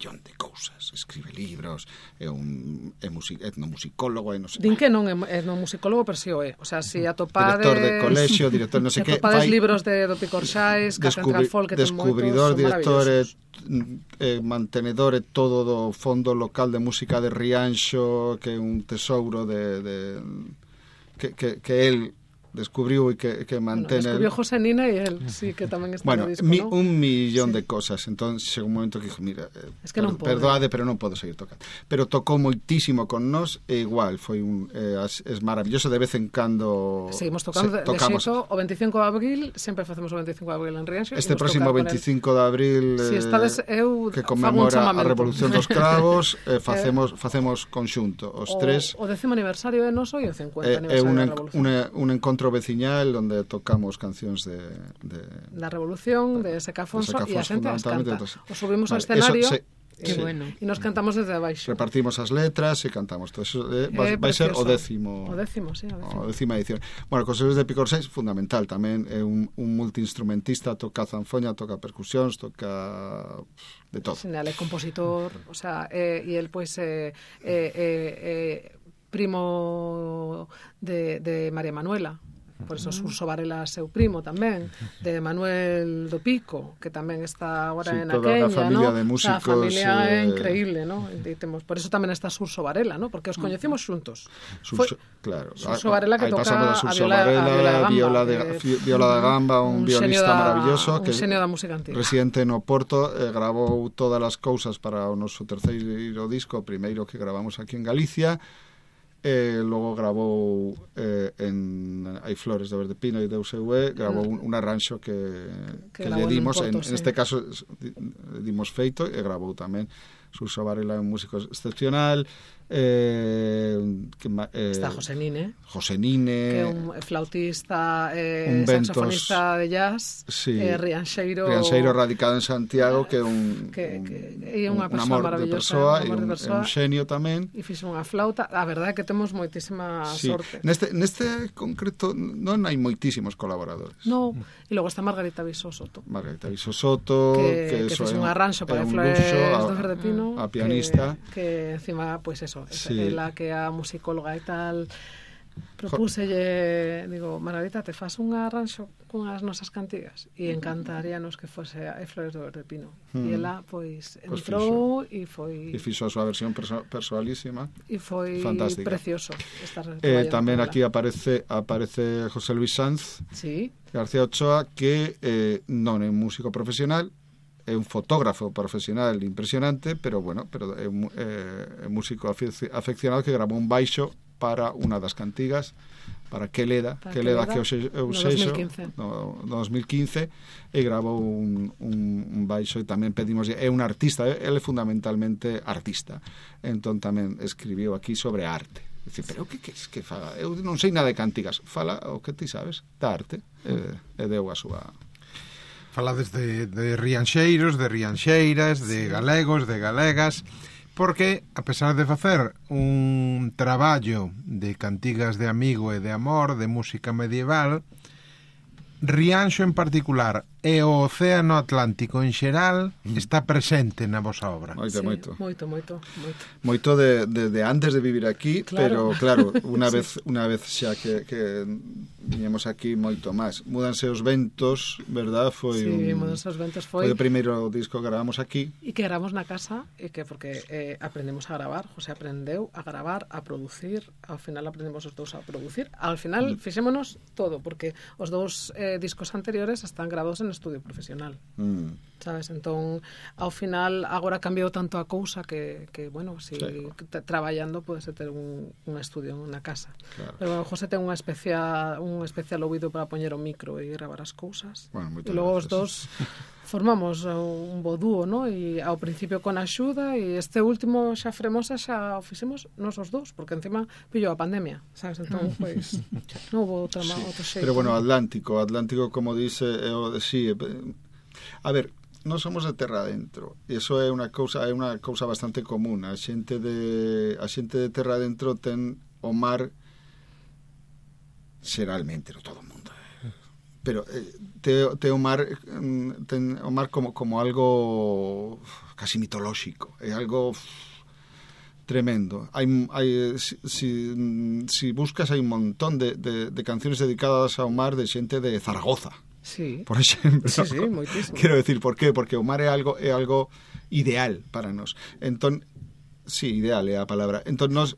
millón de cousas, escribe libros, é etnomusicólogo, e non sei. Din que non é etnomusicólogo, pero si o é. O sea, si atopades director de colexio, director non sei que, atopades libros do Picorxais, Catedral Folk, que ten moitos, descubridor, director, mantenedor e todo do Fondo Local de Música de Rianxo, que é un tesouro que él descubriu e que mantén. Descubriu José Nina e él, sí, que tamén está no disco, ¿no? Un millón de cosas. Entón, chegou un momento que dixo, mira, perdoade, pero non podo seguir tocando. Pero tocou moitísimo con nós, e igual, foi es maravilloso. De vez en cando seguimos tocando, de xeito, o 25 de abril, sempre facemos o 25 de abril en Rianxo. Este próximo 25 de abril, que conmemora a Revolución dos Cravos, facemos conxunto, os tres. O 10º aniversario é noso e o 50 aniversario da Revolución. Un encontro veciñal onde tocamos cancións da Revolución, de Seca Afonso, e a xente as canta. O subimos ao escenario Qué bueno. E nos cantamos desde abaixo. Repartimos as letras e cantamos todo eso. Vai ser o 10º. O 10º, sí, o 10ª edición. Bueno, José Luis de Picorxais, fundamental tamén, é un multiinstrumentista, toca zanfoña, toca percusións, toca de todo. Sí, é compositor, o sea, e el pois primo de María Manuela. por eso Surso Varela seu primo tamén, de Manuel do Pico, que tamén está agora en aquella, familia, ¿no? de músicos, a familia é increíble, ¿no? Por eso tamén está Surso Varela, ¿no? Porque os coñecemos xuntos. Claro. Surso Varela que toca a Viola da Gamba, un violista maravilloso un xenio da música antiga. Residente no Porto, gravou todas as cousas para o noso terceiro disco, o primeiro que gravamos aquí en Galicia. Logo gravou en Hai Flores de Verde Pino e Deus eu gravou un arranxo que lle dimos en este caso dimos feito e gravou tamén Surso Varela, un músico excepcional. Está José Nine, que é un flautista, saxofonista de jazz, Rianxeiro radicado en Santiago, que é un amor de persoa e un xenio tamén, e fixo unha flauta. A verdade é que temos moitísima sorte. Neste concreto non hai moitísimos colaboradores. No, e logo está Margarita Visoso Soto, que fixo un arranxo para Flores do Verde Pino, a pianista, que encima, pois eso, ela que é a musicóloga e tal, propúselle, digo, Margarita, te faz un arranxo cunhas nosas cantigas, e encantaríanos que fose a Flores do Verde Pino. E ela, pois, entrou e foi... E fixo a súa versión personalísima. E foi fantástica. Precioso estar tamén aquí aparece José Luis Sanz García Ochoa, que non é un músico profesional, é un fotógrafo profesional impresionante, pero é un músico afeccionado que gravou un baixo para unha das cantigas, para Queleda que eu sexo no 2015, e gravou un baixo, e tamén pedimos, é un artista, ele é fundamentalmente artista, entón tamén escribiu aquí sobre arte. Dicir, pero que fala? Eu non sei nada de cantigas, fala o que ti sabes da arte, e deu a súa... Falades de rianxeiros, de rianxeiras, de galegos, de galegas, porque, a pesar de facer un traballo de cantigas de amigo e de amor, de música medieval, Rianxo en particular e o Océano Atlántico en xeral está presente na vosa obra. Moito. Moito de antes de vivir aquí, pero claro, unha vez xa que viñemos aquí moito máis. Múdanse os ventos, verdad? Múdanse os ventos foi o primeiro disco que gravamos aquí. E que gravamos na casa, e que porque aprendemos a gravar, José aprendeu a gravar, a producir, ao final aprendemos os dous a producir, ao final fixémonos todo, porque os dous discos anteriores están grabados en estudio profesional, sabes? Entón, ao final, agora cambiou tanto a cousa que bueno, si traballando podes ter un estudio na casa. Claro. Pero bueno, José ten un especial ouvido para poñer o micro e gravar as cousas. Bueno, e logo os dous formamos un bo dúo, ¿no? E ao principio con axuda, e este último xa Fremosa xa o fixemos nos os dous, porque encima pillou a pandemia, sabes? Entón, pois, non houve outro xeito. Pero bueno, Atlántico, como dice, a ver, non somos de terra adentro, e iso é unha cousa bastante común. A xente de terra adentro ten o mar, xeralmente, non todo o mundo, pero ten o mar como algo casi mitolóxico, é algo tremendo. Si buscas, hai un montón de canciones dedicadas ao mar de xente de Zaragoza, por exemplo. Sí, moitísimo. Quero decir, por qué? Porque o mar é algo ideal para nós. Entón, ideal é a palabra. Entón, nós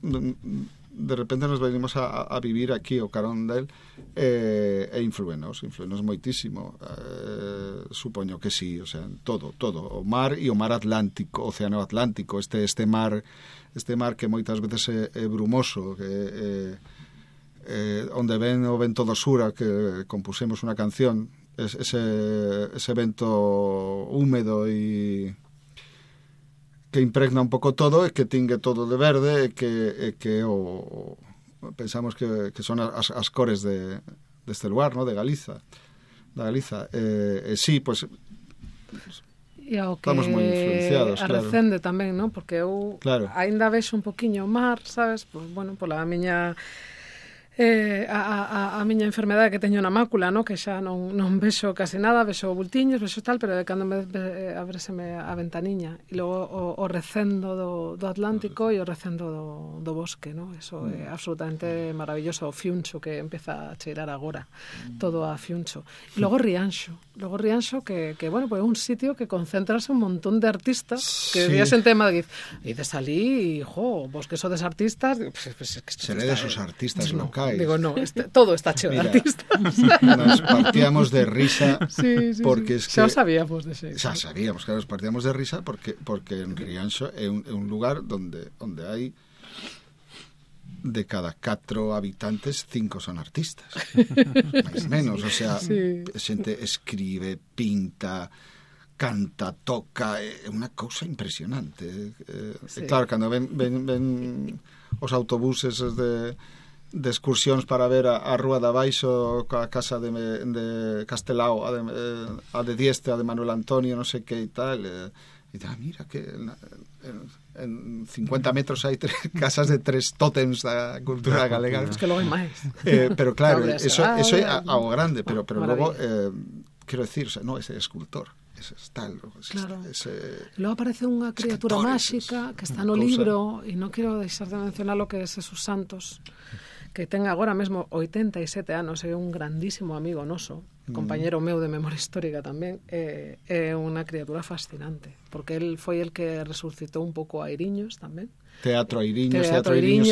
de repente nos venimos a vivir aquí o carón del, e influenos moitísimo, supoño que sí, o sea, todo, o mar e o mar Atlántico, Océano Atlántico, este mar que moitas veces é brumoso, que onde ven o vento do sur, que compusemos unha canción, ese vento húmedo e que impregna un pouco todo, e que tingue todo de verde, e que pensamos que son as cores deste lugar, ¿no? de Galiza. Sí, pues e ao que estamos moi influenciados, arrecende tamén, ¿no? Porque eu aínda vexo un poquinho o mar, sabes? Pues, bueno, pola miña a miña enfermedade que teño na mácula, no? Que xa non vexo casi nada, vexo bultiños, vexo tal, pero de cando abreseme a ventaniña e logo o recendo do Atlántico e o recendo do bosque, no? Eso é absolutamente maravilloso, o fiuncho que empeza a cheirar agora, todo a fiuncho. E logo Rianxo que bueno, pues é un sitio que concentrase un montón de artistas que día xente de Madrid e de salí, vos que sodes artistas, pues seredes os artistas locais. Digo, no, todo está cheo de artistas. Nos partíamos de risa porque es que xa o sabíamos de xeito. Xa sabíamos, claro, nos partíamos de risa porque en Rianxo é un lugar onde hai de cada 4 habitantes 5 son artistas. Mais menos, o sea, xente escribe, pinta, canta, toca, é unha cousa impresionante. Claro, cando ven os autobuses de excursións para ver a Rúa de Abaixo, a casa de Castelao, a de Dieste, a de Manuel Antonio, non sei que e tal, e mira que en 50 metros hai casas de 3 tótems da cultura galega. Es que logo hai máis. Pero claro, eso é ao grande, pero logo quero decir, no, ese escultor, ese tal, claro. Logo aparece unha criatura máxica que está no libro, e non quero deixar de mencionar lo que é Jesús Santos, que ten agora mesmo 87 anos, é un grandísimo amigo noso, compañero meu de memoria histórica tamén, é unha criatura fascinante, porque el foi el que resucitou un pouco a Eiriños tamén. Teatro Eiriños é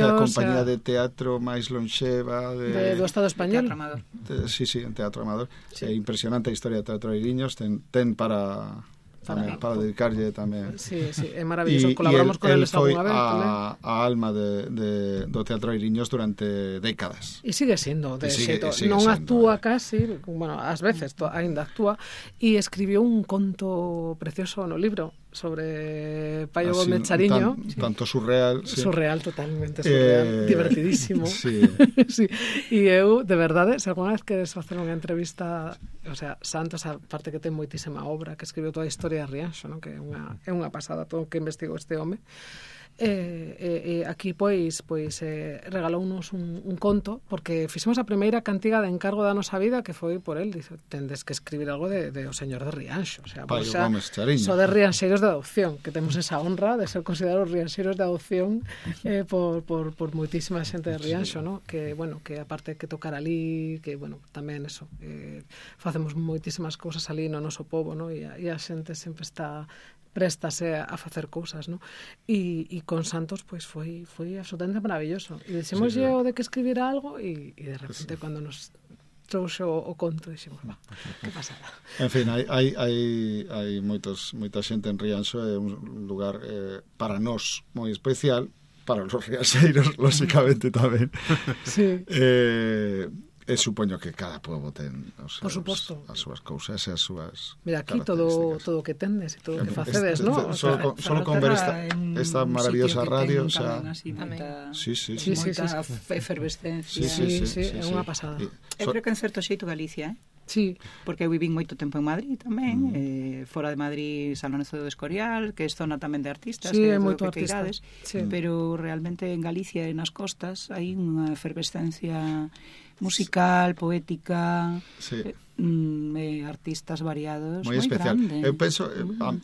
a compañía de teatro máis lonxeva do Estado español. Teatro Amador. Sí, en Teatro Amador. É impresionante a historia de Teatro Eiriños, ten para dedicarlle tamén. Sí, é maravilloso. Colaboramos con eles algunha vez tamén. A alma do Teatro Eiriños durante décadas. E sigue sendo, de xeito. Non actúa casi, bueno, ás veces aínda actúa, e escribiu un conto precioso no libro sobre Paio Gómez Chariño. Tanto surreal. Surreal, totalmente surreal. Divertidísimo. Sí. E eu, de verdade, se alguna vez queres facer unha entrevista, o sea, Santos, aparte que ten moitísima obra, que escribiu toda a historia de Rianxo, ¿no? Que é unha pasada todo o que investigou este home. Aquí pois regalounos un conto, porque fixemos a primeira cantiga de encargo da nosa vida, que foi por el, dice, tendes que escribir algo de o señor de Rianxo, o sea, so de rianxeiros de adopción, que temos esa honra de ser considerados rianxeiros de adopción por moitísima xente de Rianxo, ¿no? Que, bueno, que aparte que tocar ali, que, bueno, tamén eso, facemos moitísimas cousas ali no noso pobo, ¿no? E a xente sempre está préstase a facer cousas, ¿no? E con Santos pois foi absolutamente maravilloso. E dixemos o de que escribira algo e de repente cando nos trouxo o conto dixemos, que pasada. En fin, hai moita xente en Rianxo, é un lugar para nós moi especial, para os rianxeiros, lóxicamente tamén. Sí. Supoño que cada pobo ten as súas cousas e as súas. Mira, aquí todo o que tendes e todo o que facedes, ¿no? Solo con ver esta maravillosa radio, o sea, moita Sí, efervescencia. é unha pasada. Eu creo que en certo xeito Galicia, Sí. Porque eu vivín moito tempo en Madrid tamén, fora de Madrid San Lorenzo do Escorial, que é zona tamén de artistas, sí, é moito artista. Pero realmente en Galicia e nas costas hai unha efervescencia musical, poética, artistas variados moi especial. Grande. Eu penso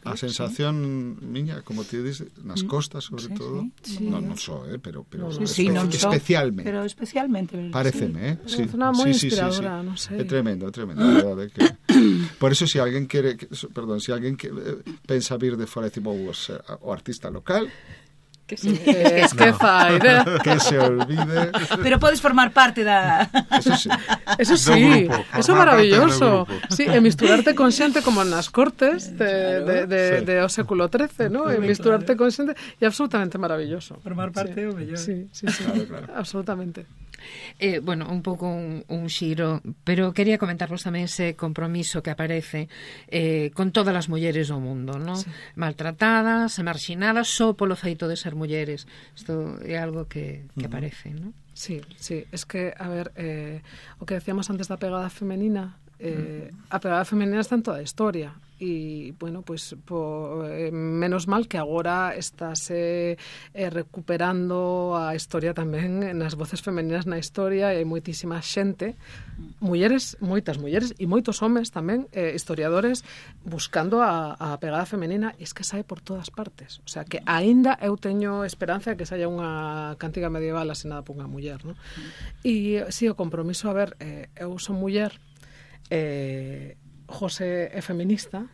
a sensación miña, como ti dices, nas costas sobre todo, non só, pero especialmente. Pero especialmente, paréceme, sí. É unha moi inspiradora, non sei. É tremendo, verdade que por eso se alguén quere, pensa vir de fora, tipo o artista local, que se idea. Que se olvide. Pero podes formar parte da... Eso sí, eso é maravilloso. Sí, e misturarte con xente como nas cortes de o século XIII, ¿no? E misturarte con xente é absolutamente maravilloso. Formar parte é o mellor. Sí, claro. Absolutamente. Bueno, un pouco un xiro, pero quería comentarvos tamén ese compromiso que aparece con todas as mulleres do mundo, ¿no? Sí. Maltratadas, marxinadas, só polo feito de ser mulleres. Isto é algo que aparece, ¿no? Sí, es que, a ver, o que decíamos antes da pegada femenina, a pegada femenina está en toda a historia. e bueno, pues menos mal que agora estáse recuperando a historia tamén nas voces femeninas na historia, e hai moitísima xente, moitas mulleres e moitos homes tamén, historiadores, buscando a pegada femenina, e es que sae por todas partes, o sea que aínda eu teño esperanza de que saia unha cántiga medieval asinada por unha muller, non? E si, o compromiso, a ver, eu son muller, José é feminista,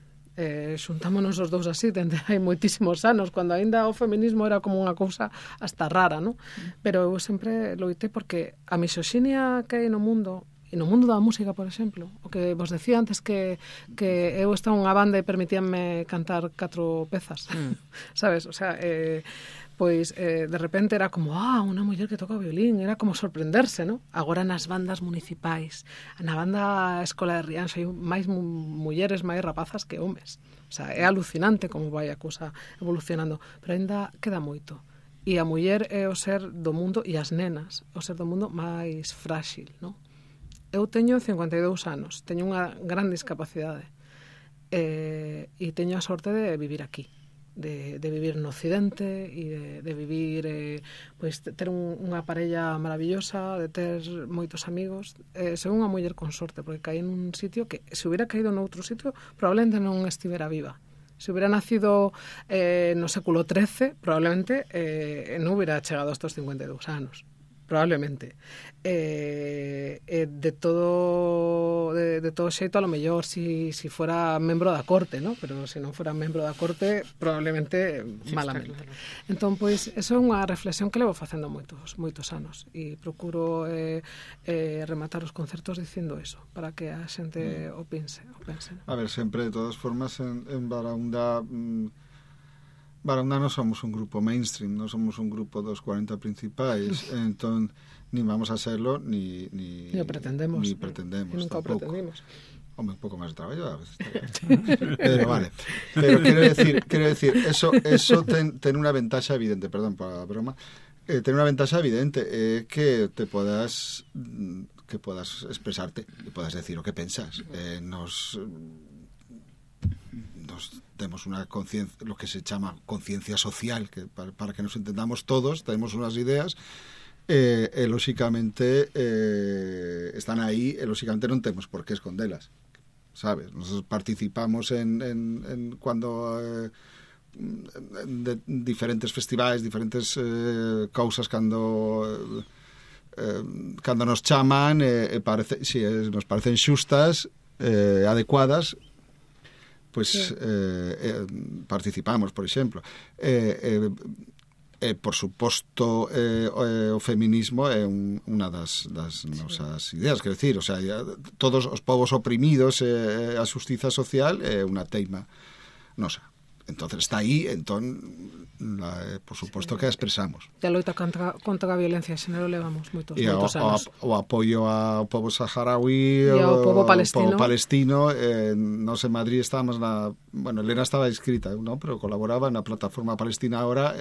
xuntámonos os dous así dende hai moitísimos anos, cando aínda o feminismo era como unha cousa hasta rara, non? Pero eu sempre loitei porque a misoxinia que hai no mundo, e no mundo da música, por exemplo, o que vos decía antes que eu estaba unha banda e permitíanme cantar 4 pezas, sabes? O sea, pois de repente era como, unha muller que toca o violín, era como sorprenderse, non? Agora nas bandas municipais, na banda Escola de Rianxo, hai máis mulleres, máis rapazas que homes. O sea, é alucinante como vai a cousa evolucionando, pero ainda queda moito. E a muller é o ser do mundo, e as nenas, o ser do mundo máis frágil, non? Eu teño 52 anos, teño unha gran discapacidade, e teño a sorte de vivir aquí, de vivir no Occidente e de vivir, pois ter unha parella maravillosa, de ter moitos amigos. Son unha muller con sorte, porque caí en un sitio que, se hubiera caído noutro sitio, probablemente non estivera viva. Se hubiera nacido no século XIII, probablemente non hubiera chegado a estos 52 anos. Probablemente. De todo xeito, a lo mellor si fuera membro da corte, ¿no? Pero se non fora membro da corte, probablemente malamente. Entón, pois, eso é unha reflexión que levo facendo moitos anos, e procuro rematar os concertos dicindo eso, para que a xente o pense. A ver, sempre, de todas formas, en Baraúnda... Baraúnda non somos un grupo mainstream, non somos un grupo dos 40 principais, entón ni vamos a serlo, ni pretendemos. Nunca o pretendimos. Hombre, un pouco máis de traballo a veces. Pero vale. Pero quero decir, eso ten unha ventaxa evidente, perdón por a broma, ten unha ventaxa evidente, que te podas expresarte, e podas decir o que pensas. Nos temos unha conciencia, lo que se chama conciencia social, que para que nos entendamos todos, tenemos unas ideas, e lóxicamente están aí, e lóxicamente non temos por que escondelas, sabes? Nos participamos en cuando de diferentes festivais, diferentes cousas cando nos chaman, nos parecen xustas, adecuadas, pues participamos, por exemplo. Por suposto, o feminismo é unha das nosas ideas, quero dicir, o sea, todos os povos oprimidos, a xustiza social é unha teima nosa. Entonces está aí, por suposto que a expresamos. E a loita contra a violencia de xénero levamos moitos anos. O apoio ao povo saharaui e ao povo palestino. Nos en Madrid estábamos Elena estaba inscrita, ¿no? Pero colaboraba na plataforma palestina ahora.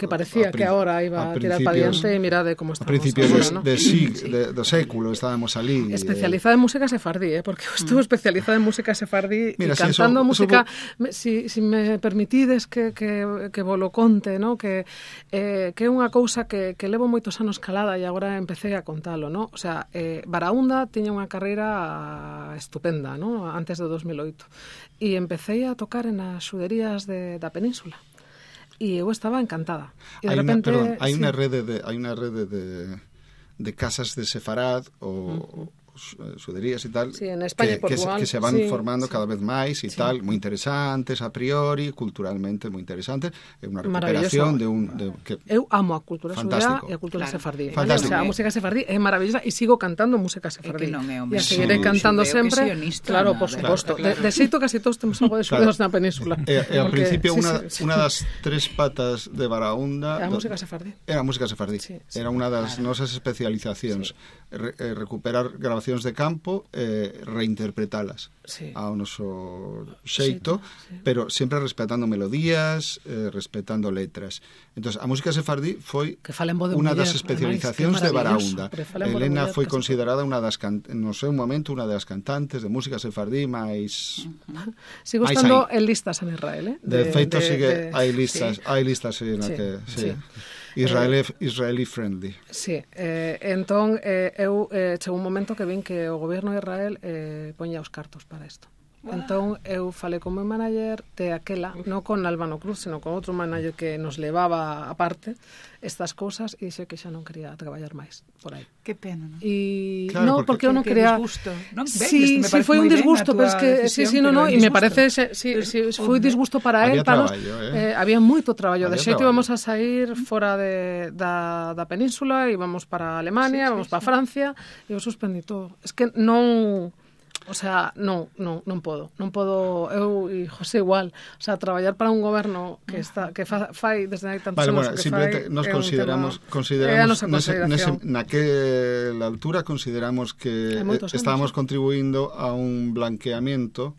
Que parecía que agora iba a tirar para diante, e mirade como estamos. A principios do século estábamos ali. Especializada en música sefardí, porque estou especializada en música sefardí, e cantando música... Si me permitides que volo conte, ¿no? Que é unha cousa que levo moitos anos calada, e agora empecé a contalo, ¿no? O sea, Baraúnda tiña unha carreira estupenda, ¿no? Antes de 2008, e empecé a tocar en as xuderías da península, e eu estaba encantada. E de repente, hai unha rede de casas de sefarad ou xuderías e tal, sí, en España que se van formando cada vez máis e tal, moi interesantes a priori, culturalmente moi interesantes, é unha recuperación eu amo a cultura xudea e a cultura sefardí. O sea, a música sefardí é maravillosa, e sigo cantando música sefardí, e a seguiré cantando sempre, claro, por suposto. De xeito casi todos temos algo de xudeos na península. E ao principio unha das tres patas de Baraúnda era a música sefardí. Era unha das nosas especializacións, recuperar grabacións grabacións de campo, reinterpretalas ao noso xeito, pero sempre respetando melodías, respetando letras. Entón, a música sefardí foi unha das especializacións de Barahúnda. Elena foi considerada no seu momento unha das cantantes de música sefardí máis... Sigo estando en listas en Israel, De feito, hai listas na que... Israeli friendly. Sí, entón eu chegou un momento que vin que o goberno de Israel poñía os cartos para isto. Entón eu falei con meu manager de aquela, non con Albano Cruz, sino con outro manager que nos levaba aparte estas cousas e dixe que xa non quería traballar máis por aí. Que pena, non? E claro, no, porque eu non quería... Disgusto, non? Sí, foi un disgusto, pero es que e me parece foi disgusto para él, para nos, había moito traballo, de xeito íbamos a sair fora da península, íbamos para Alemania, íbamos para Francia, e eu suspendí todo. Es que non... O sea, non podo, eu e José igual, o sea, traballar para un goberno que fai desde hai tantos anos que simplemente nos consideramos naquela altura consideramos que estábamos contribuindo a un blanqueamiento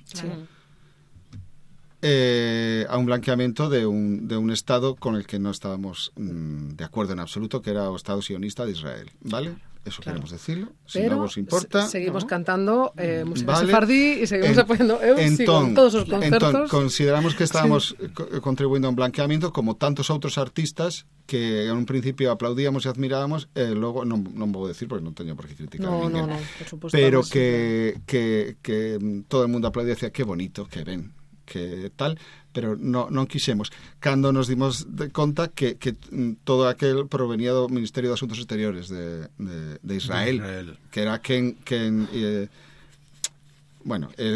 a un blanqueamiento de un Estado con el que no estábamos de acuerdo en absoluto, que era o Estado sionista de Israel, ¿vale? Eso queremos decirlo, si non vos importa. Seguimos cantando música sefardí e seguimos apoiando sigo en todos os concertos. Consideramos que estábamos contribuindo a un blanqueamiento como tantos outros artistas que en un principio aplaudíamos e admirábamos, logo non vou decir porque non teño por que criticar a ninguén. Por suposto, pero que todo o mundo aplaudía e decía que bonito, que ben, que tal, pero non quixemos. Cando nos dimos de conta que todo aquel provenía do Ministerio de Asuntos Exteriores de Israel, que era quen de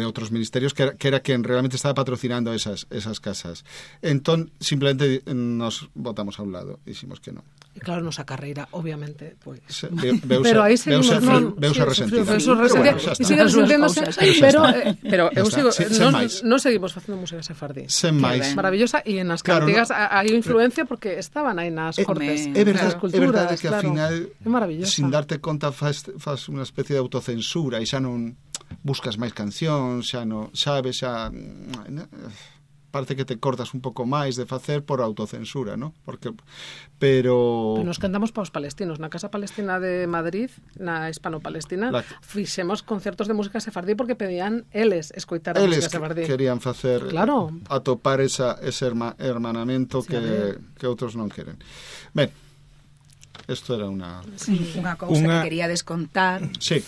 outros ministerios, que era quen realmente estaba patrocinando esas casas. Entón, simplemente nos botamos a un lado e diximos que non. E claro, nosa carreira, obviamente, pois... Pero aí seguimos... Veuse resentida. E sigue resenténdose, pero eu sigo... Non seguimos facendo música sefardí. Sen máis. Maravillosa, e nas cantigas hai influencia porque estaban aí nas cortes. É verdade que ao final, sin darte conta, faz unha especie de autocensura e xa non buscas máis cancións, xa non sabes, xa parece que te cortas un pouco máis de facer por autocensura, ¿no? Pero nos cantamos para os palestinos. Na Casa Palestina de Madrid, na Hispano-Palestina, fixemos concertos de música sefardí porque pedían eles escoitar a música sefardí. Eles querían facer, atopar ese hermanamento que outros non queren. Ben, isto era unha cousa que quería descontar. Sí.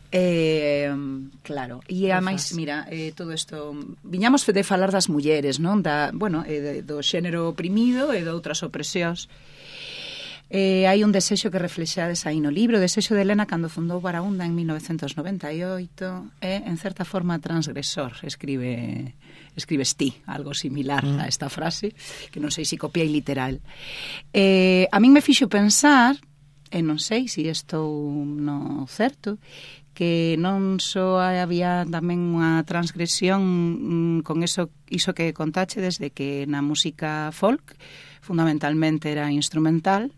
Claro, e ademais, mira, todo isto viñamos de falar das mulleres, non? Do xénero oprimido e de outras opresións. Hai un desexo que reflexades aí no libro, o desexo de Elena cando fundou Barahúnda en 1998 é, en certa forma, transgresor, escribes ti, algo similar a esta frase, que non sei se copiei literal. A min me fixo pensar, e non sei se estou no certo, que non só había tamén unha transgresión con iso que contache desde que na música folk fundamentalmente era instrumental,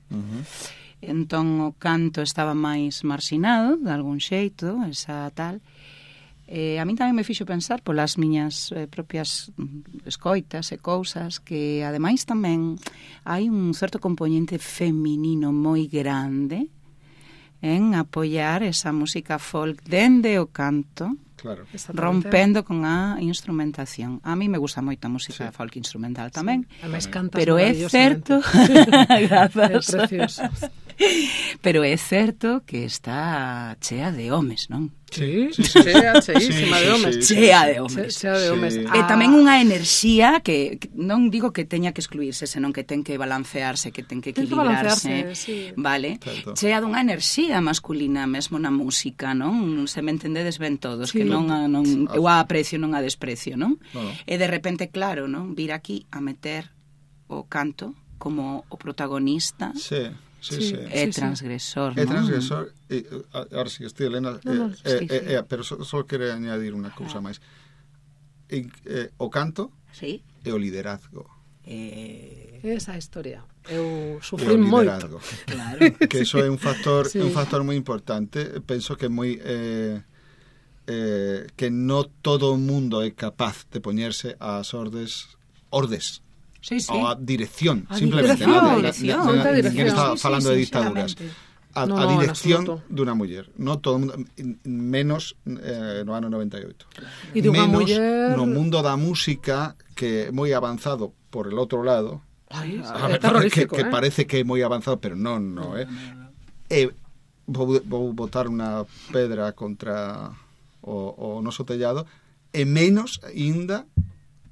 entón o canto estaba máis marxinado de algún xeito, esa tal. A min tamén me fixo pensar polas miñas propias escoitas e cousas que ademais tamén hai un certo componente feminino moi grande en apoiar esa música folk dende o canto, claro, rompendo con a instrumentación. A mí me gusta moito a música folk instrumental tamén, pero é certo é precioso. Pero é certo que está chea de homes, non? Sí, cheísima de homes. Chea de homes. E tamén unha enerxía que non digo que teña que excluirse, senón que ten que balancearse, que ten que equilibrarse, vale? Tanto. Chea dunha enerxía masculina mesmo na música, non? Se me entendedes ben todos, que non eu a aprecio, non a desprecio, non? E de repente, claro, non? Vir aquí a meter o canto como o protagonista. É transgresor, non? É transgresor, ahora sí, estoy, Elena, pero só quero añadir unha cousa máis. O canto e o liderazgo. Esa historia. Eu sufrín moito. Claro. Que eso é un factor moi importante. Penso que moi que no todo o mundo é capaz de poñerse ás ordes. Sí. Ou a dirección, A simplemente. dirección. Ninguén está Sí, falando sí, de dictaduras. A dirección dunha muller. No todo mundo, menos no ano 98. E dunha menos muller... no mundo da música, que é moi avanzado por el outro lado. Ai, é terrorífico, que parece que é moi avanzado, pero non, vou botar unha pedra contra o noso tellado, e menos ainda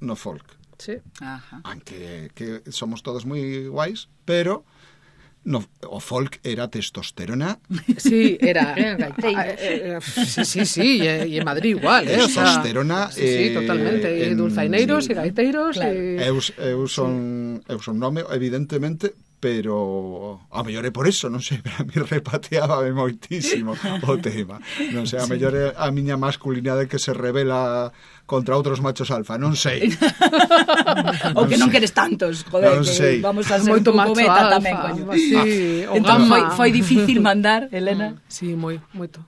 no folk. Sí. Ajá. Aunque que somos todos moi guais, pero o folk era testosterona. Sí, era. Sí, e en Madrid igual, Testosterona. Sí, totalmente. E dulzaineiros e gaiteiros. Claro. Eu son nome, evidentemente, pero a mellor é por eso, non sei, pero a mí repateábame moitísimo o tema. Non sei, a mellor é a miña masculinidade que se revela contra outros machos alfa, non sei. Ou que non queres tantos, joder, non sei. Que vamos a ser Moito un pouco macho beta alfa, tamén, coño. Sí, o Entón gamma. foi difícil mandar, Elena. Sí, moito.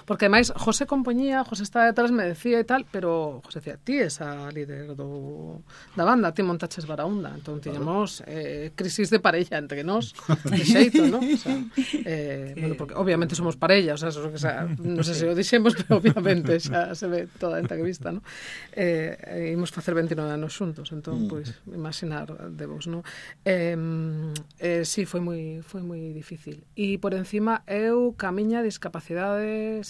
Porque ademais José estaba detrás, me decía e tal, pero José decía, ti és a líder da banda, ti montaches Baraunda, entón tiñamos crisis de parella entre nós, de xeito, ¿no? O sea, bueno, porque obviamente somos parella, o sea, non sei se o dixemos, pero obviamente xa se ve toda a entrevista, ¿no? Imos facer 29 anos xuntos, entón, pois, imaginar de vos, ¿no? Sí, foi moi difícil. E por encima, eu, ca miña discapacidade,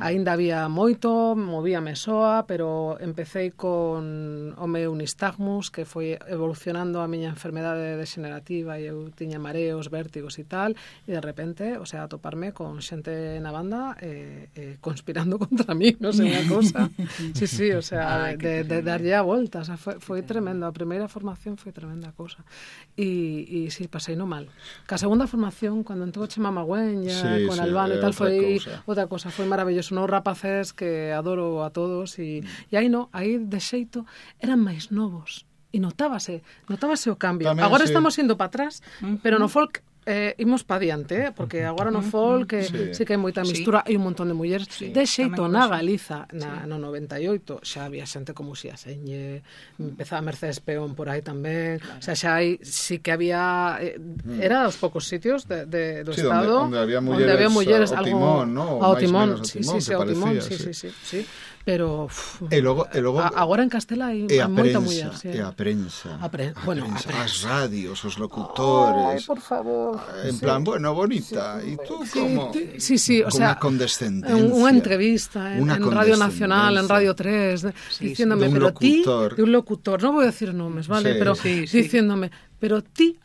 aínda había moito, movíame soa, pero empecé con o meu nistagmus, que foi evolucionando a miña enfermedade degenerativa, e eu tiña mareos, vértigos e tal, e de repente, o sea, atoparme con xente na banda conspirando contra mí, non sei, unha cousa. Sí, o sea, de darlle a volta, o sea, foi tremendo. A primeira formación foi tremenda cousa. E sí, pasei no mal. Ca segunda formación, cando entrou Chema Magüeña, con Albano e tal, foi outra cousa, foi maravilloso. Non rapaces que adoro a todos, e aí de xeito eran máis novos. E notábase o cambio. Tamén, agora sí. estamos indo para atrás, pero no folk imos pa diante, porque agora no folk sí que hai moita mistura, hai un montón de mulleres de xeito na Galiza no 98 xa había xente como Xia Señe, empezaba Mercedes Peón por aí tamén, o sea, xa hai, sí que había era os poucos sitios do estado onde había mulleres ao timón, ¿no? Ao timón, ao timón, sí. Pero e logo agora en Castela hai moita muller, e a prensa, bueno, as radios, os locutores. Ay, por favor. En plan, bueno, bonita, e tú como o sea, unha condescendencia, unha entrevista en Radio Nacional, en Radio 3, diciéndome, pero ti, de un locutor, non vou decir nomes, vale, pero diciéndome, pero ti,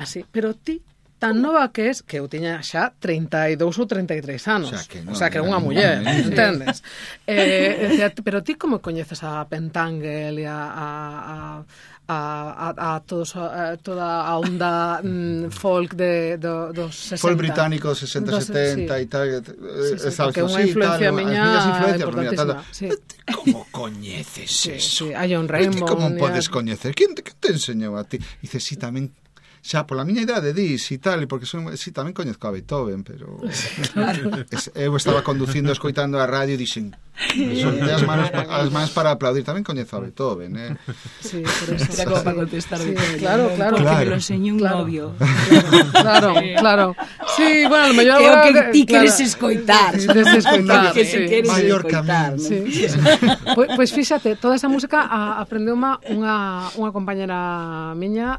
tan nova que es, que eu tiña xa 32 ou 33 anos. O sea, que é unha muller, entendes? Decía, pero ti como coñeces a Pentangle e a todos, toda a onda folk dos 60. Folk británico 60-70 e tal. Porque é unha influencia miña importantísima. Como coñeces eso? Hai un Raymond. Como podes coñecer? Quen te enseñou a ti? Dices, sí, tamén xa pola miña idade dis e tal, porque tamén coñezco a Beethoven, pero eu estaba conducindo, escoitando a radio e dixen, soltei as mans para aplaudir, tamén coñezo a Beethoven, Sí, por eso. Era como para contestar Beethoven. Claro. Porque me lo enseñó un novio. Claro. Sí, bueno, a lo mellor que é o que ti queres escoitar. Que se queres maior escoitar. Pois fíxate, toda esa música aprendeuma unha compañera miña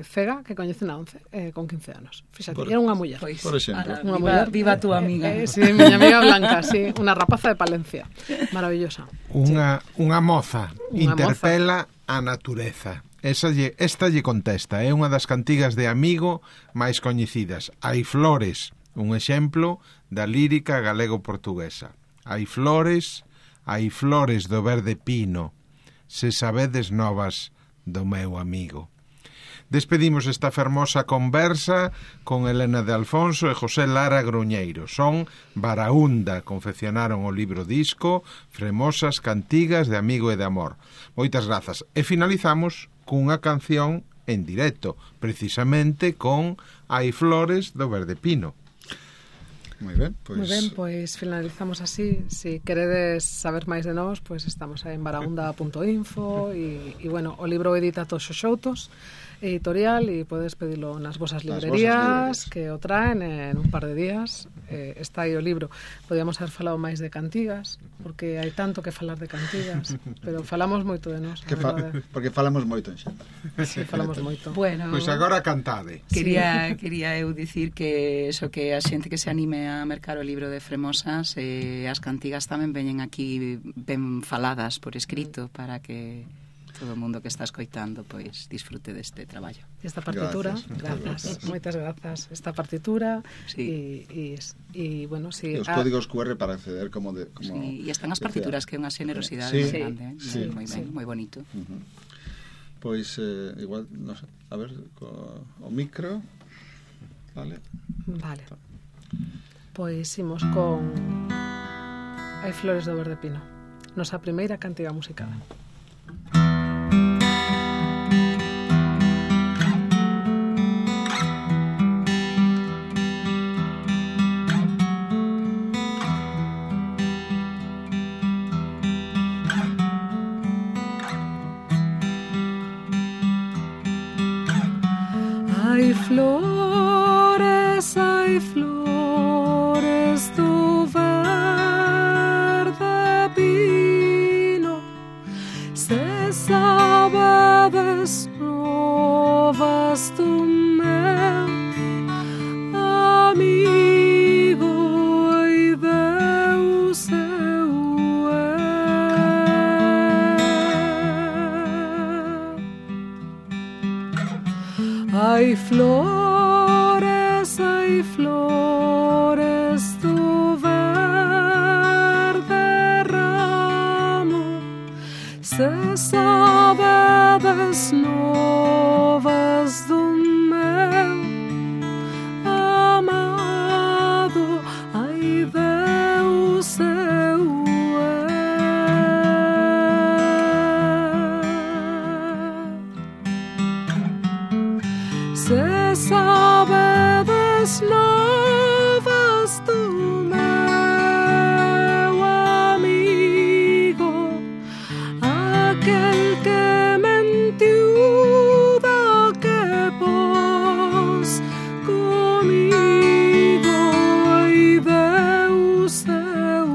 cega que coñece na 11 con 15 anos. Fíxate, era unha muller. Por exemplo. Viva tu amiga. Sí, miña amiga Blanca, sí, unha rapaza de Palencia. Maravillosa. Unha moza interpela a natureza. Esta lle contesta, é unha das cantigas de Amigo máis coñecidas. Hai flores, un exemplo da lírica galego-portuguesa. Hai flores do verde pino, se sabedes novas do meu amigo. Despedimos esta fermosa conversa con Elena de Alfonso e José Lara Gruñeiro. Son Baraúnda, confeccionaron o libro disco Fremosas cantigas de amigo e de amor. Moitas grazas. E finalizamos cunha canción en directo, precisamente con Hai flores do verde pino. Moi ben, pois finalizamos así. Si queredes saber máis de nós, pois estamos aí en baraunda.info e bueno, o libro edita Toxo Xoutos, editorial, e podes pedilo nas vosas librerías, que o traen en un par de días. Está aí o libro. Podíamos haber falado máis de cantigas, porque hai tanto que falar de cantigas, pero falamos moito de nós. Porque falamos moito en xeral. Sí, falamos moito. Bueno, pois agora cantade. Quería eu dicir que eso, que a xente que se anime a mercar o libro de Fremosas, as cantigas tamén veñen aquí ben faladas por escrito para que todo o mundo que está escoitando pois disfrute deste traballo. Esta partitura, grazas, moitas grazas. Esta partitura sí. E bueno, si os códigos QR para acceder como sí, e están as partituras que é unha xenerosidade sí, grande, sí, moi ben, moi bonito. Pois igual, non sei, a ver o micro. Vale. Pois imos con Hai flores do verde pino, nosa primeira cantiga musicada. Hai flores do verde pino, se sabedes novas do meu amigo e Deus eu Hai flores do verde ramo, se sabedes novas do meu amado, ai Deus eu se sabedes novas do meu amigo, aquel que mentiu do que pos comigo, ai Deus eu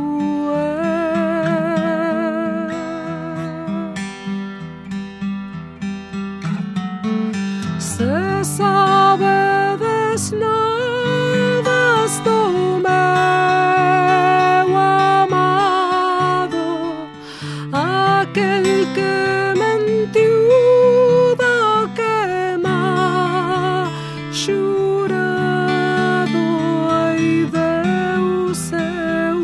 se sabedes novas do meu amado, aquel que mentiu do que chorado, ai Deus eu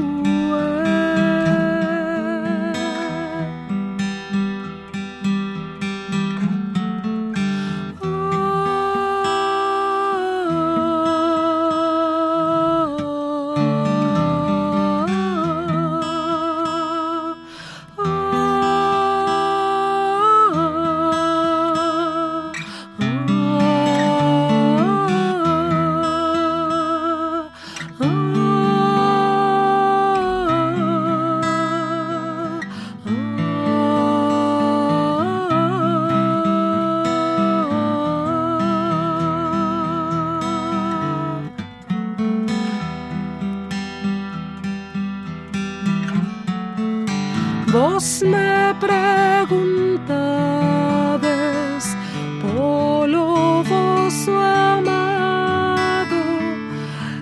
Vos me preguntades polo vosso amado,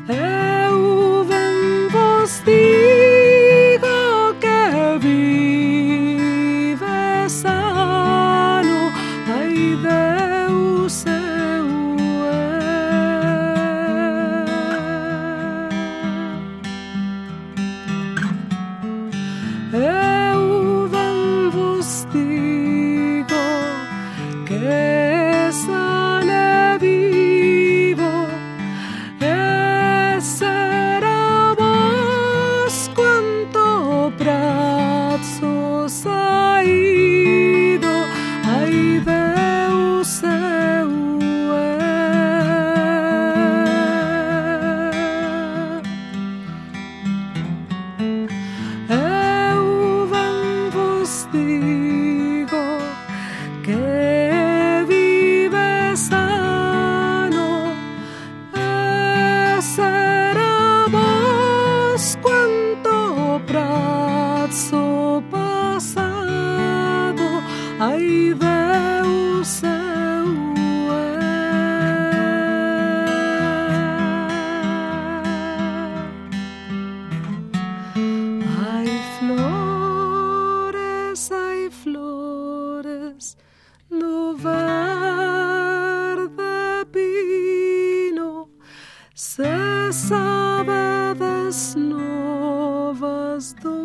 eu ben vos digo que vive sano, ai Deus eu eu ben Se sabedes novas do